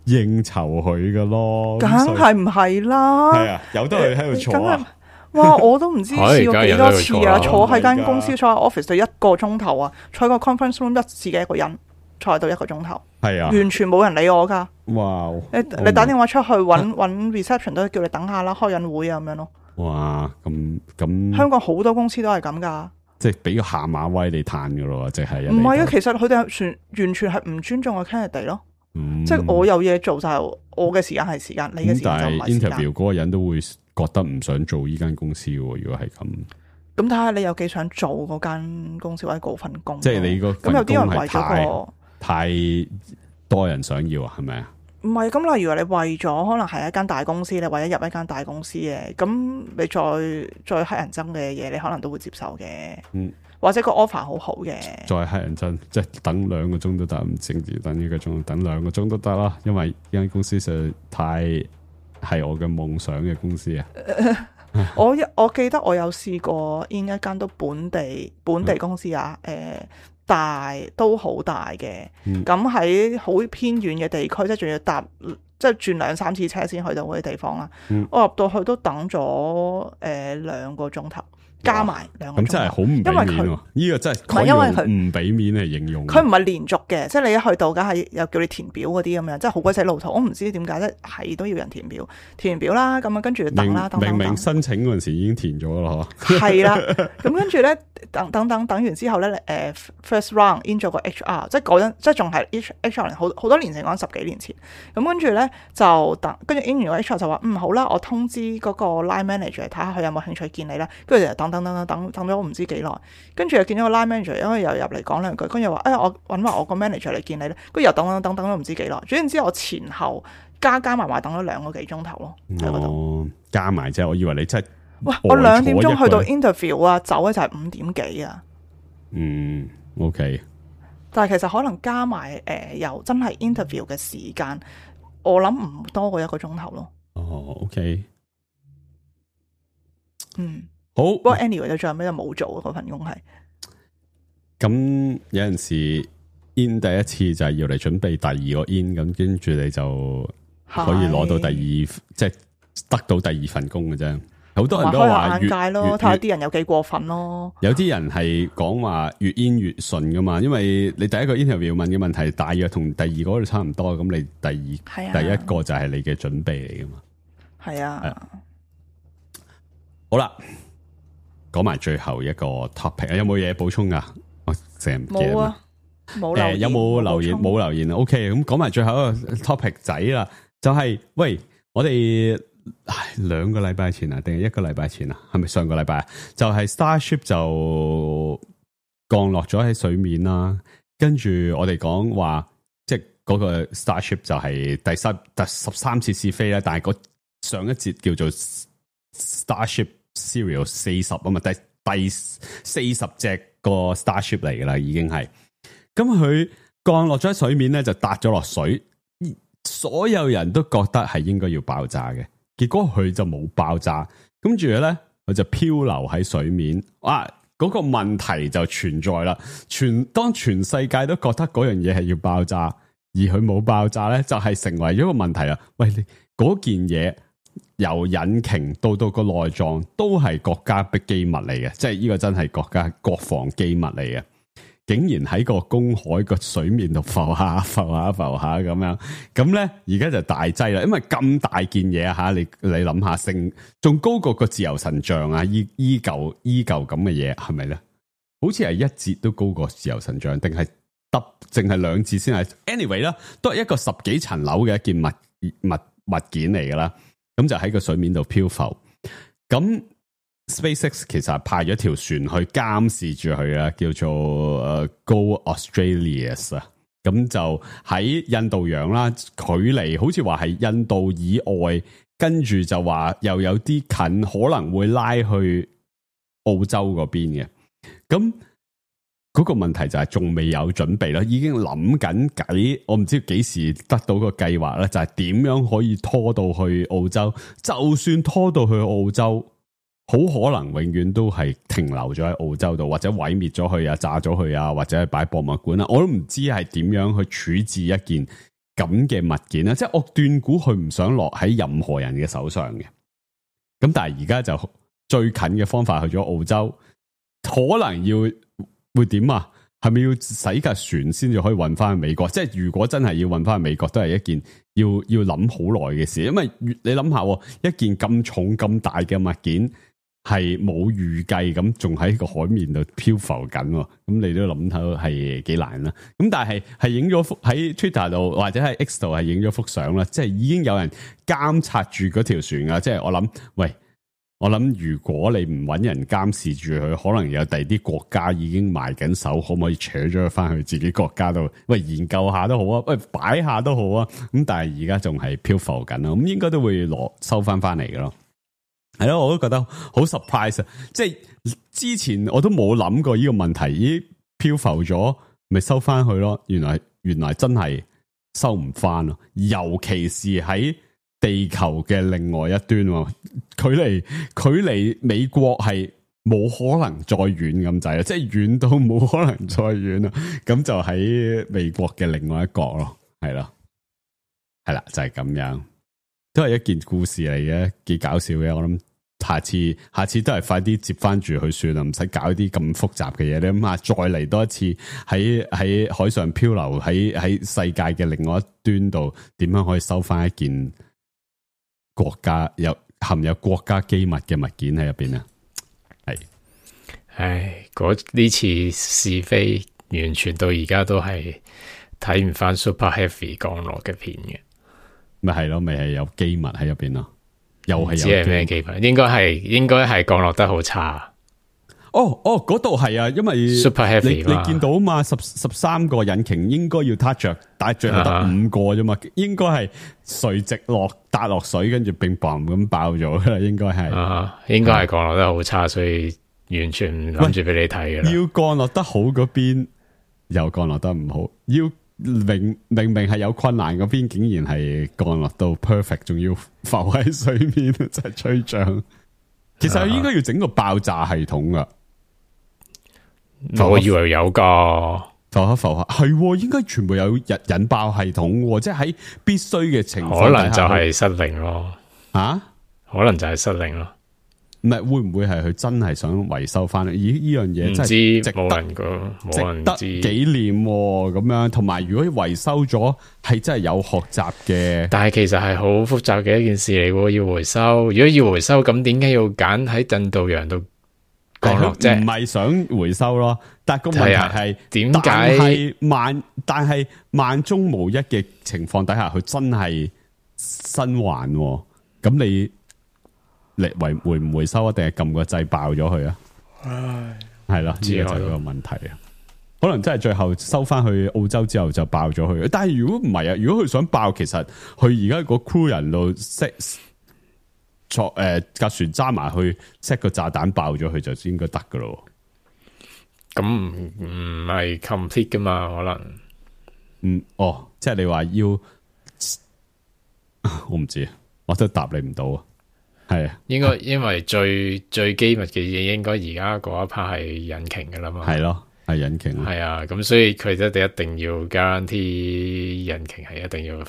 應酬佢嘅咯，梗係唔係啦？係啊，由得佢喺度坐啊！哇，我都唔知試過幾多次啊！坐喺間公司，坐喺 office 就一個鐘頭啊，坐喺個 conference room 一自己一個人坐喺度一個鐘頭，係啊，完全冇人理我噶。哇！你你打電話出去搵搵 reception 都叫你等下啦，開緊會啊咁樣咯。哇！咁咁，香港好多公司都係咁噶，即係俾個下馬威你嘆噶咯，即係唔係啊？其實佢哋係完全係唔尊重個 candidate 咯。嗯、即係我有嘢做就係我嘅時間係時間，你嘅時間就唔係時間。但係 interview 嗰個人都會覺得唔想做呢間公司嘅，如果係咁。咁睇下你有幾想做嗰間公司或者嗰份工。即係你個咁有啲人為咗個太多人想要啊，係咪啊？唔係，咁例如話你為咗可能係一間大公司，你為咗入一間大公司嘅，咁你再再黑人憎嘅嘢，你可能都會接受嘅。嗯。或者個 offer 好好嘅，再黑人憎，即係等兩個鐘都得，唔淨止等一個鐘，等兩個鐘都得啦。因為呢間公司實在太係我嘅夢想嘅公司啊！我一我記得我有試過 in 一間都本地本地公司啊，誒、呃、大都好大嘅，咁喺好偏遠嘅地區，即係仲要搭即係轉兩三次車先去到嗰啲地方啦。嗯、我入到去都等咗誒兩個鐘頭。加埋兩個鐘，咁真係好唔俾面喎！呢個真係唔係因為佢唔俾面嚟形容。佢唔係連續嘅，即係你一去到，梗係又叫你填表嗰啲咁樣，即係好鬼死老土。我唔知點解咧，係都要人填表，填完表啦，咁啊跟住等啦，等等等。明明申請嗰陣時已經填咗啦，嗬。係啦，咁跟住咧，等等等等完之後咧，誒 first round in 咗個 H R， 即係嗰陣，即係仲係 H H R 好好多年前講十幾年前。咁跟住咧就等，跟住 in 完個 H R 就話嗯好啦，我通知嗰個 line manager 睇下佢有冇興趣見你啦。跟住就等。等等等等等咗我唔知幾耐，跟住又見咗個 line manager，因為又入嚟講兩句，跟住話誒我揾埋我個 manager 嚟見你咧，跟住又等等等等咗唔知幾耐，總之我前後加加埋埋等咗兩個幾鐘頭咯喺嗰度，加埋啫，我以為你真係，喂我兩點鐘去到 interview 啊，走咧就係五點幾啊，嗯 OK，但係其實可能加埋誒、呃、又真係 interview 嘅時間，我諗唔多過一個鐘頭咯。哦 OK，嗯。好，不過 anyway 到最後尾就冇做嗰份工係。咁有陣時 in 第一次就係要嚟準備第二個 in， 咁跟住你就可以攞到第二，即係得到第二份工嘅啫。好多人都話眼界咯，睇下啲人有幾過分咯。有啲人係講話越 in 越順噶嘛，因為你第一個 interview 問嘅問題大約同第二個度差唔多，咁你第二、啊、第一個就係你嘅準備嚟噶嘛。係啊，啊，好啦，講埋最後一個 topic， 有冇嘢補充噶？我成日唔記得。冇啊，冇留言。誒、呃，有冇留言？冇留言。O K， 咁講埋最後一個 topic 仔啦，就係、是、喂，我哋。唉，兩個禮拜前啊，定係一個禮拜前啊？係咪上個禮拜啊？就係、是、Starship 就降落咗喺水面啦。跟住我哋講話，即係嗰個 Starship 就係第十第十三次試飛啦。但係上一節叫做 Starship Serial 四十啊嘛，第第四十隻個 Starship 嚟噶啦，已經係。咁佢降落咗喺水面咧，就搭咗落水，所有人都覺得係應該要爆炸嘅。結果佢就冇爆炸，跟住咧佢就漂流喺水面。哇！嗰、那個問題就存在啦。全當全世界都覺得嗰樣嘢係要爆炸，而佢冇爆炸咧，就係、是、成為咗個問題啦。喂，你嗰件嘢由引擎到到個內臟都係國家的機密嚟嘅，即係呢個真係國家國防機密嚟嘅。竟然喺個公海個水面度浮下浮下浮下咁樣，咁咧而家就大劑啦，因為咁大件嘢吓，你你諗下，成仲高過個自由神像啊，依依舊依舊咁嘅嘢係咪咧？好似係一節都高過自由神像，定係得淨係兩節先係 ？Anyway 啦，都係一個十幾層樓嘅一件物物物件嚟噶啦，咁就喺個水面度漂浮，咁。SpaceX 其實派咗條船去監視住佢啊，叫做誒 Go Australia 啊，咁就喺印度洋啦，距離好似話係印度以外，跟住就話又有啲近，可能會拉去澳洲嗰邊嘅。咁嗰個問題就係仲未有準備啦，已經諗緊計，我唔知幾時得到個計劃啦，就係點樣可以拖到去澳洲，就算拖到去澳洲。好可能永遠都係停留咗喺澳洲度，或者毀滅咗佢啊、炸咗佢啊，或者係擺博物館啊，我都唔知係點樣去處置一件咁嘅物件啦。即係我斷估佢唔想落喺任何人嘅手上嘅。咁但係而家就最近嘅方法去咗澳洲，可能要會點啊？係咪要洗架船先至可以運翻去美國？即係如果真係要運翻去美國，都係一件要要諗好耐嘅事。因為你諗下，一件咁重咁大嘅物件。係冇預計咁，仲喺個海面度漂浮緊，咁你都諗到係幾難啦。咁但係係影咗幅喺 Twitter 度或者喺 X 度係影咗幅相啦，即係已經有人監察住嗰條船啊。即係我諗，喂，我諗如果你唔揾人監視住佢，可能有第二啲國家已經埋緊手，可唔可以扯咗佢翻去自己國家度？喂，研究下都好啊，喂，擺下都好啊。咁但係而家仲係漂浮緊啦，咁應該都會攞收翻翻嚟嘅咯。係咯，我都覺得好 surprise 啊！即係之前我都冇諗過呢個問題，咦，漂浮咗，咪收翻去咯？原來原來真係收唔翻咯，尤其是喺地球嘅另外一端，距離距離美國係冇可能再遠咁滯啦，即係遠到冇可能再遠啦。咁就喺美國嘅另外一角咯，係咯，係啦，就係咁樣。都係一件故事嚟嘅，幾搞笑嘅。我諗下次下次都係快啲接翻住佢算啦，唔使搞啲咁複雜嘅嘢。你諗下，再嚟多一次喺喺海上漂流，喺喺世界嘅另外一端度，點樣可以收翻一件國家有含有國家機密嘅物件喺入邊啊？係，唉，嗰呢次試飛完全到而家都係睇唔翻 Super Heavy 降落嘅片嘅。咪係咯，咪係有機密喺入邊咯，又係有。知係咩機密？應該係應該係降落得好差。哦哦，嗰度係啊，因為 Super Heavy 你你見到啊嘛，十十三個引擎應該要 touch 着，但係最後得五個啫嘛，uh -huh. 應該係垂直落搭落水，跟住乒乓咁爆咗噶啦，應該係。啊、uh -huh.，應該係降落得好差，所以完全唔諗住俾你睇噶啦。要降落得好嗰邊，又降落得唔好，要。明明明係有困難嗰邊，竟然係降落到 perfect， 仲要浮喺水面，真係吹脹。其實應該要整個爆炸系統噶，我以為有噶。浮下浮下，係應該全部有引引爆系統，即係喺必須嘅情況，可能就係失靈咯。啊，可能就係失靈咯。唔係會唔會係佢真係想維修翻？咦，呢樣嘢真係值得冇人講，冇人知值得紀念咁樣。同埋如果維修咗，係真係有學習嘅。但係其實係好複雜嘅一件事嚟喎，要回收。如果要回收，咁點解要揀喺印度洋度降落啫？唔係想回收咯，但係個問題係點解？但係萬但係萬中無一嘅情況底下，佢真係生還。咁你？你回回唔回收啊？定係撳個掣爆咗佢啊？唉，係啦，呢個就係個問題啊。可能真係最後收翻去澳洲之後就爆咗佢。但係如果唔係啊，如果佢想爆，其實佢而家個 crew 人度 set 坐誒架船揸埋去 set 個炸彈爆咗佢就應該得噶咯。咁唔唔係 complete 噶嘛？可能嗯哦，即係你話要我唔知，我都答你唔到啊。係啊，應該因為最最機密嘅嘢，應該而家嗰一 part 係引擎噶啦嘛。係咯，係引擎。係啊，咁所以佢哋一定要 guarantee 引擎係一定要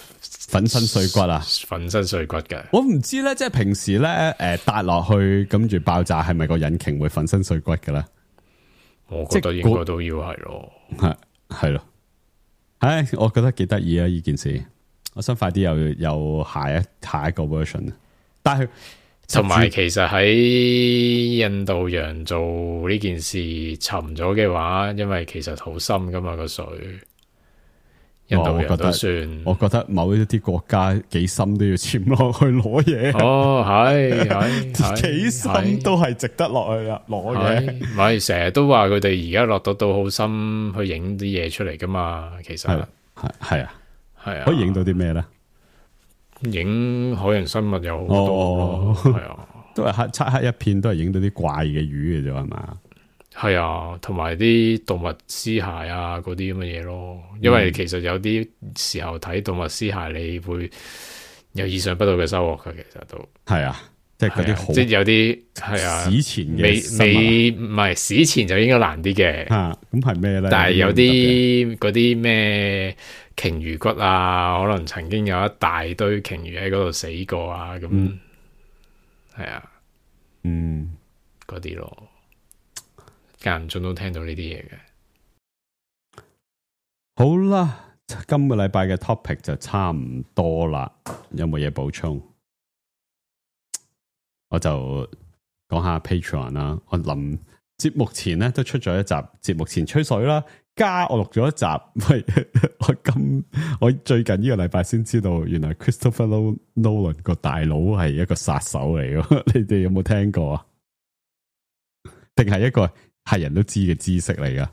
粉身碎骨啊，粉身碎骨嘅。我唔知咧，即係平時咧，誒，搭落去跟住爆炸，係咪個引擎會粉身碎骨嘅咧？我覺得應該都要係咯，係係咯。唉，我覺得幾得意啊！呢件事，我想快啲有有下一下一個 version 啊，但係。同埋，其實喺印度洋做呢件事沉咗嘅話，因為其實好深噶嘛個水。印度洋都算，我覺得某一啲國家幾深都要潛落去攞嘢。哦，係係幾深都係值得落去啊！攞嘢，唔係成日都話佢哋而家落到到好深去影啲嘢出嚟噶嘛？其實係係係啊，係啊，啊，可以影到啲咩咧？影海洋生物有好多，係、哦、啊，都係黑漆黑一片，都係影到啲怪嘅魚嘅啫，係嘛？係啊，同埋啲動物屍骸啊，嗰啲咁嘅嘢咯。因為其實有啲時候睇動物屍骸，你會有意想不到嘅收穫嘅。其實都係啊，即係嗰啲好，即係有啲係啊，史前嘅未未唔係史前就應該難啲嘅。吓，咁係咩咧？但係有啲嗰啲咩？鯨魚骨啊，可能曾經有一大堆鯨魚喺嗰度死過啊，咁係、嗯、啊，嗯，嗰啲咯，間唔中都聽到呢啲嘢嘅。好啦，今個禮拜嘅 topic 就差唔多啦，有冇嘢補充？我就講下 Patreon 啦。我臨節目前咧都出咗一集節目前吹水啦。加我錄咗一集，喂！我今我最近呢個禮拜先知道，原來 Christopher Nolan 個大佬係一個殺手嚟嘅，你哋有冇聽過啊？定係一個係人都知嘅知識嚟噶？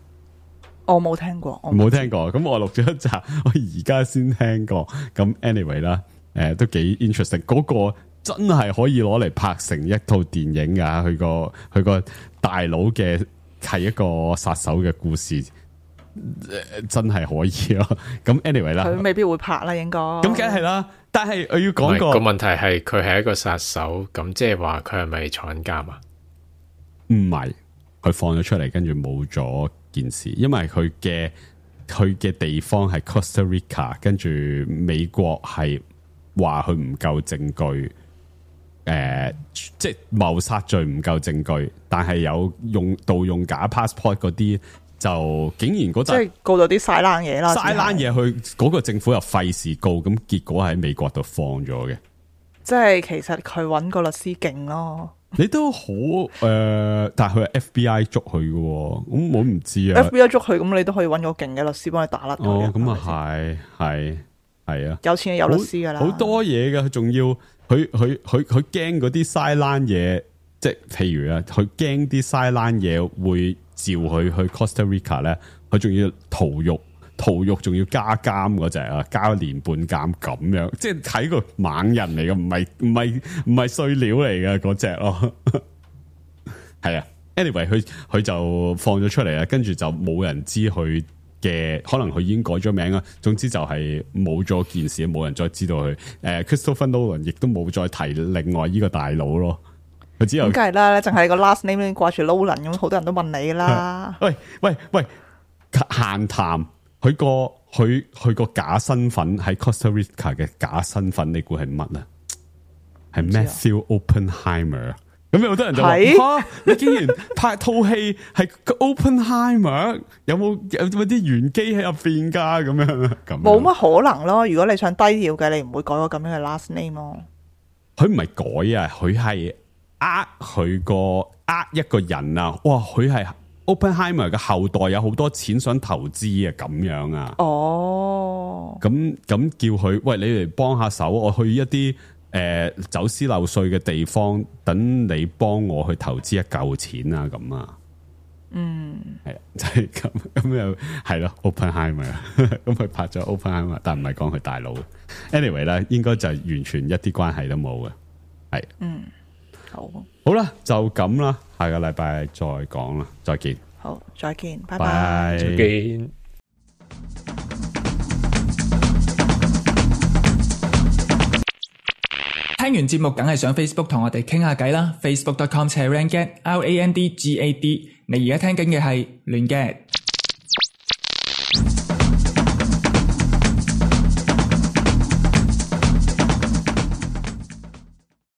我冇聽過，我冇聽過。咁我錄咗一集，我而家先聽過。咁 anyway 啦，誒，都幾 interesting。嗰個真係可以攞嚟拍成一套電影噶，佢個佢個大佬嘅係一個殺手嘅故事。真係可以咯，咁 anyway 啦，佢未必會拍啦，應該咁梗係啦。但係我要講個個問題係，佢係一個殺手，咁即係話佢係咪坐緊監啊？唔係，佢放咗出嚟，跟住冇咗件事，因為佢嘅佢嘅地方係 Costa Rica， 跟住美國係話佢唔夠證據，誒、呃，即係謀殺罪唔夠證據，但係有用盜用假 passport 嗰啲。就竟然嗰陣即係告到啲晒冷嘢啦，晒冷嘢去嗰個政府又費事告，咁結果喺美國度放咗嘅。即係其實佢揾個律師勁咯。你都好誒、呃，但係佢係 F B I 捉佢嘅，咁我唔知啊。F B I 捉佢，咁你都可以揾個勁嘅律師幫你打甩佢。哦，咁啊係係係啊，有錢有律師噶啦，好多嘢嘅，佢仲要佢佢佢佢驚嗰啲晒冷嘢，即係譬如啊，佢驚啲晒冷嘢會。召佢去 Costa Rica 咧，佢仲要逃獄，逃獄仲要加監嗰隻啊，加一年半監咁樣，即係睇個猛人嚟嘅，唔係唔係唔係碎料嚟嘅嗰隻咯。係啊 ，anyway 佢佢就放咗出嚟啦，跟住就冇人知佢嘅，可能佢已經改咗名啦。總之就係冇咗件事，冇人再知道佢。誒、呃、，Christopher Nolan 亦都冇再提另外呢個大佬咯。佢之後咁梗係啦，淨係個 last name 掛住 Nolan 咁，好多人都問你啦。喂喂喂，閒談佢個佢佢個假身份喺 Costa Rica 嘅假身份，你估係乜啊？係 Matthew Oppenheimer。咁有好多人就話：吓，你竟然拍套戲係 Oppenheimer， 有冇有冇啲玄機喺入邊噶？咁樣咁冇乜可能咯。如果你想低調嘅，你唔會改個咁樣嘅 last name 咯。佢唔係改啊，佢係呃佢個呃一個人啊！哇，佢係 Oppenheimer 嘅後代，有好多錢想投資啊，咁樣啊。哦，咁咁叫佢喂，你嚟幫下手，我去一啲。誒、呃，走私漏稅嘅地方，等你幫我去投資一嚿錢啊，咁啊，嗯，係啊，就係咁，咁又係咯 ，Oppenheimer， 咁佢拍咗 Oppenheimer， 但唔係講佢大佬。anyway 咧，應該就完全一啲關係都冇嘅，係，嗯，好，好啦，就咁啦，下個禮拜再講啦，再見，好，再見，拜拜，再見。聽完節目梗係上 Facebook 同我哋傾下偈啦 ，facebook dot com slash randgad，R A N D G A D。你而家聽緊嘅係亂嘅。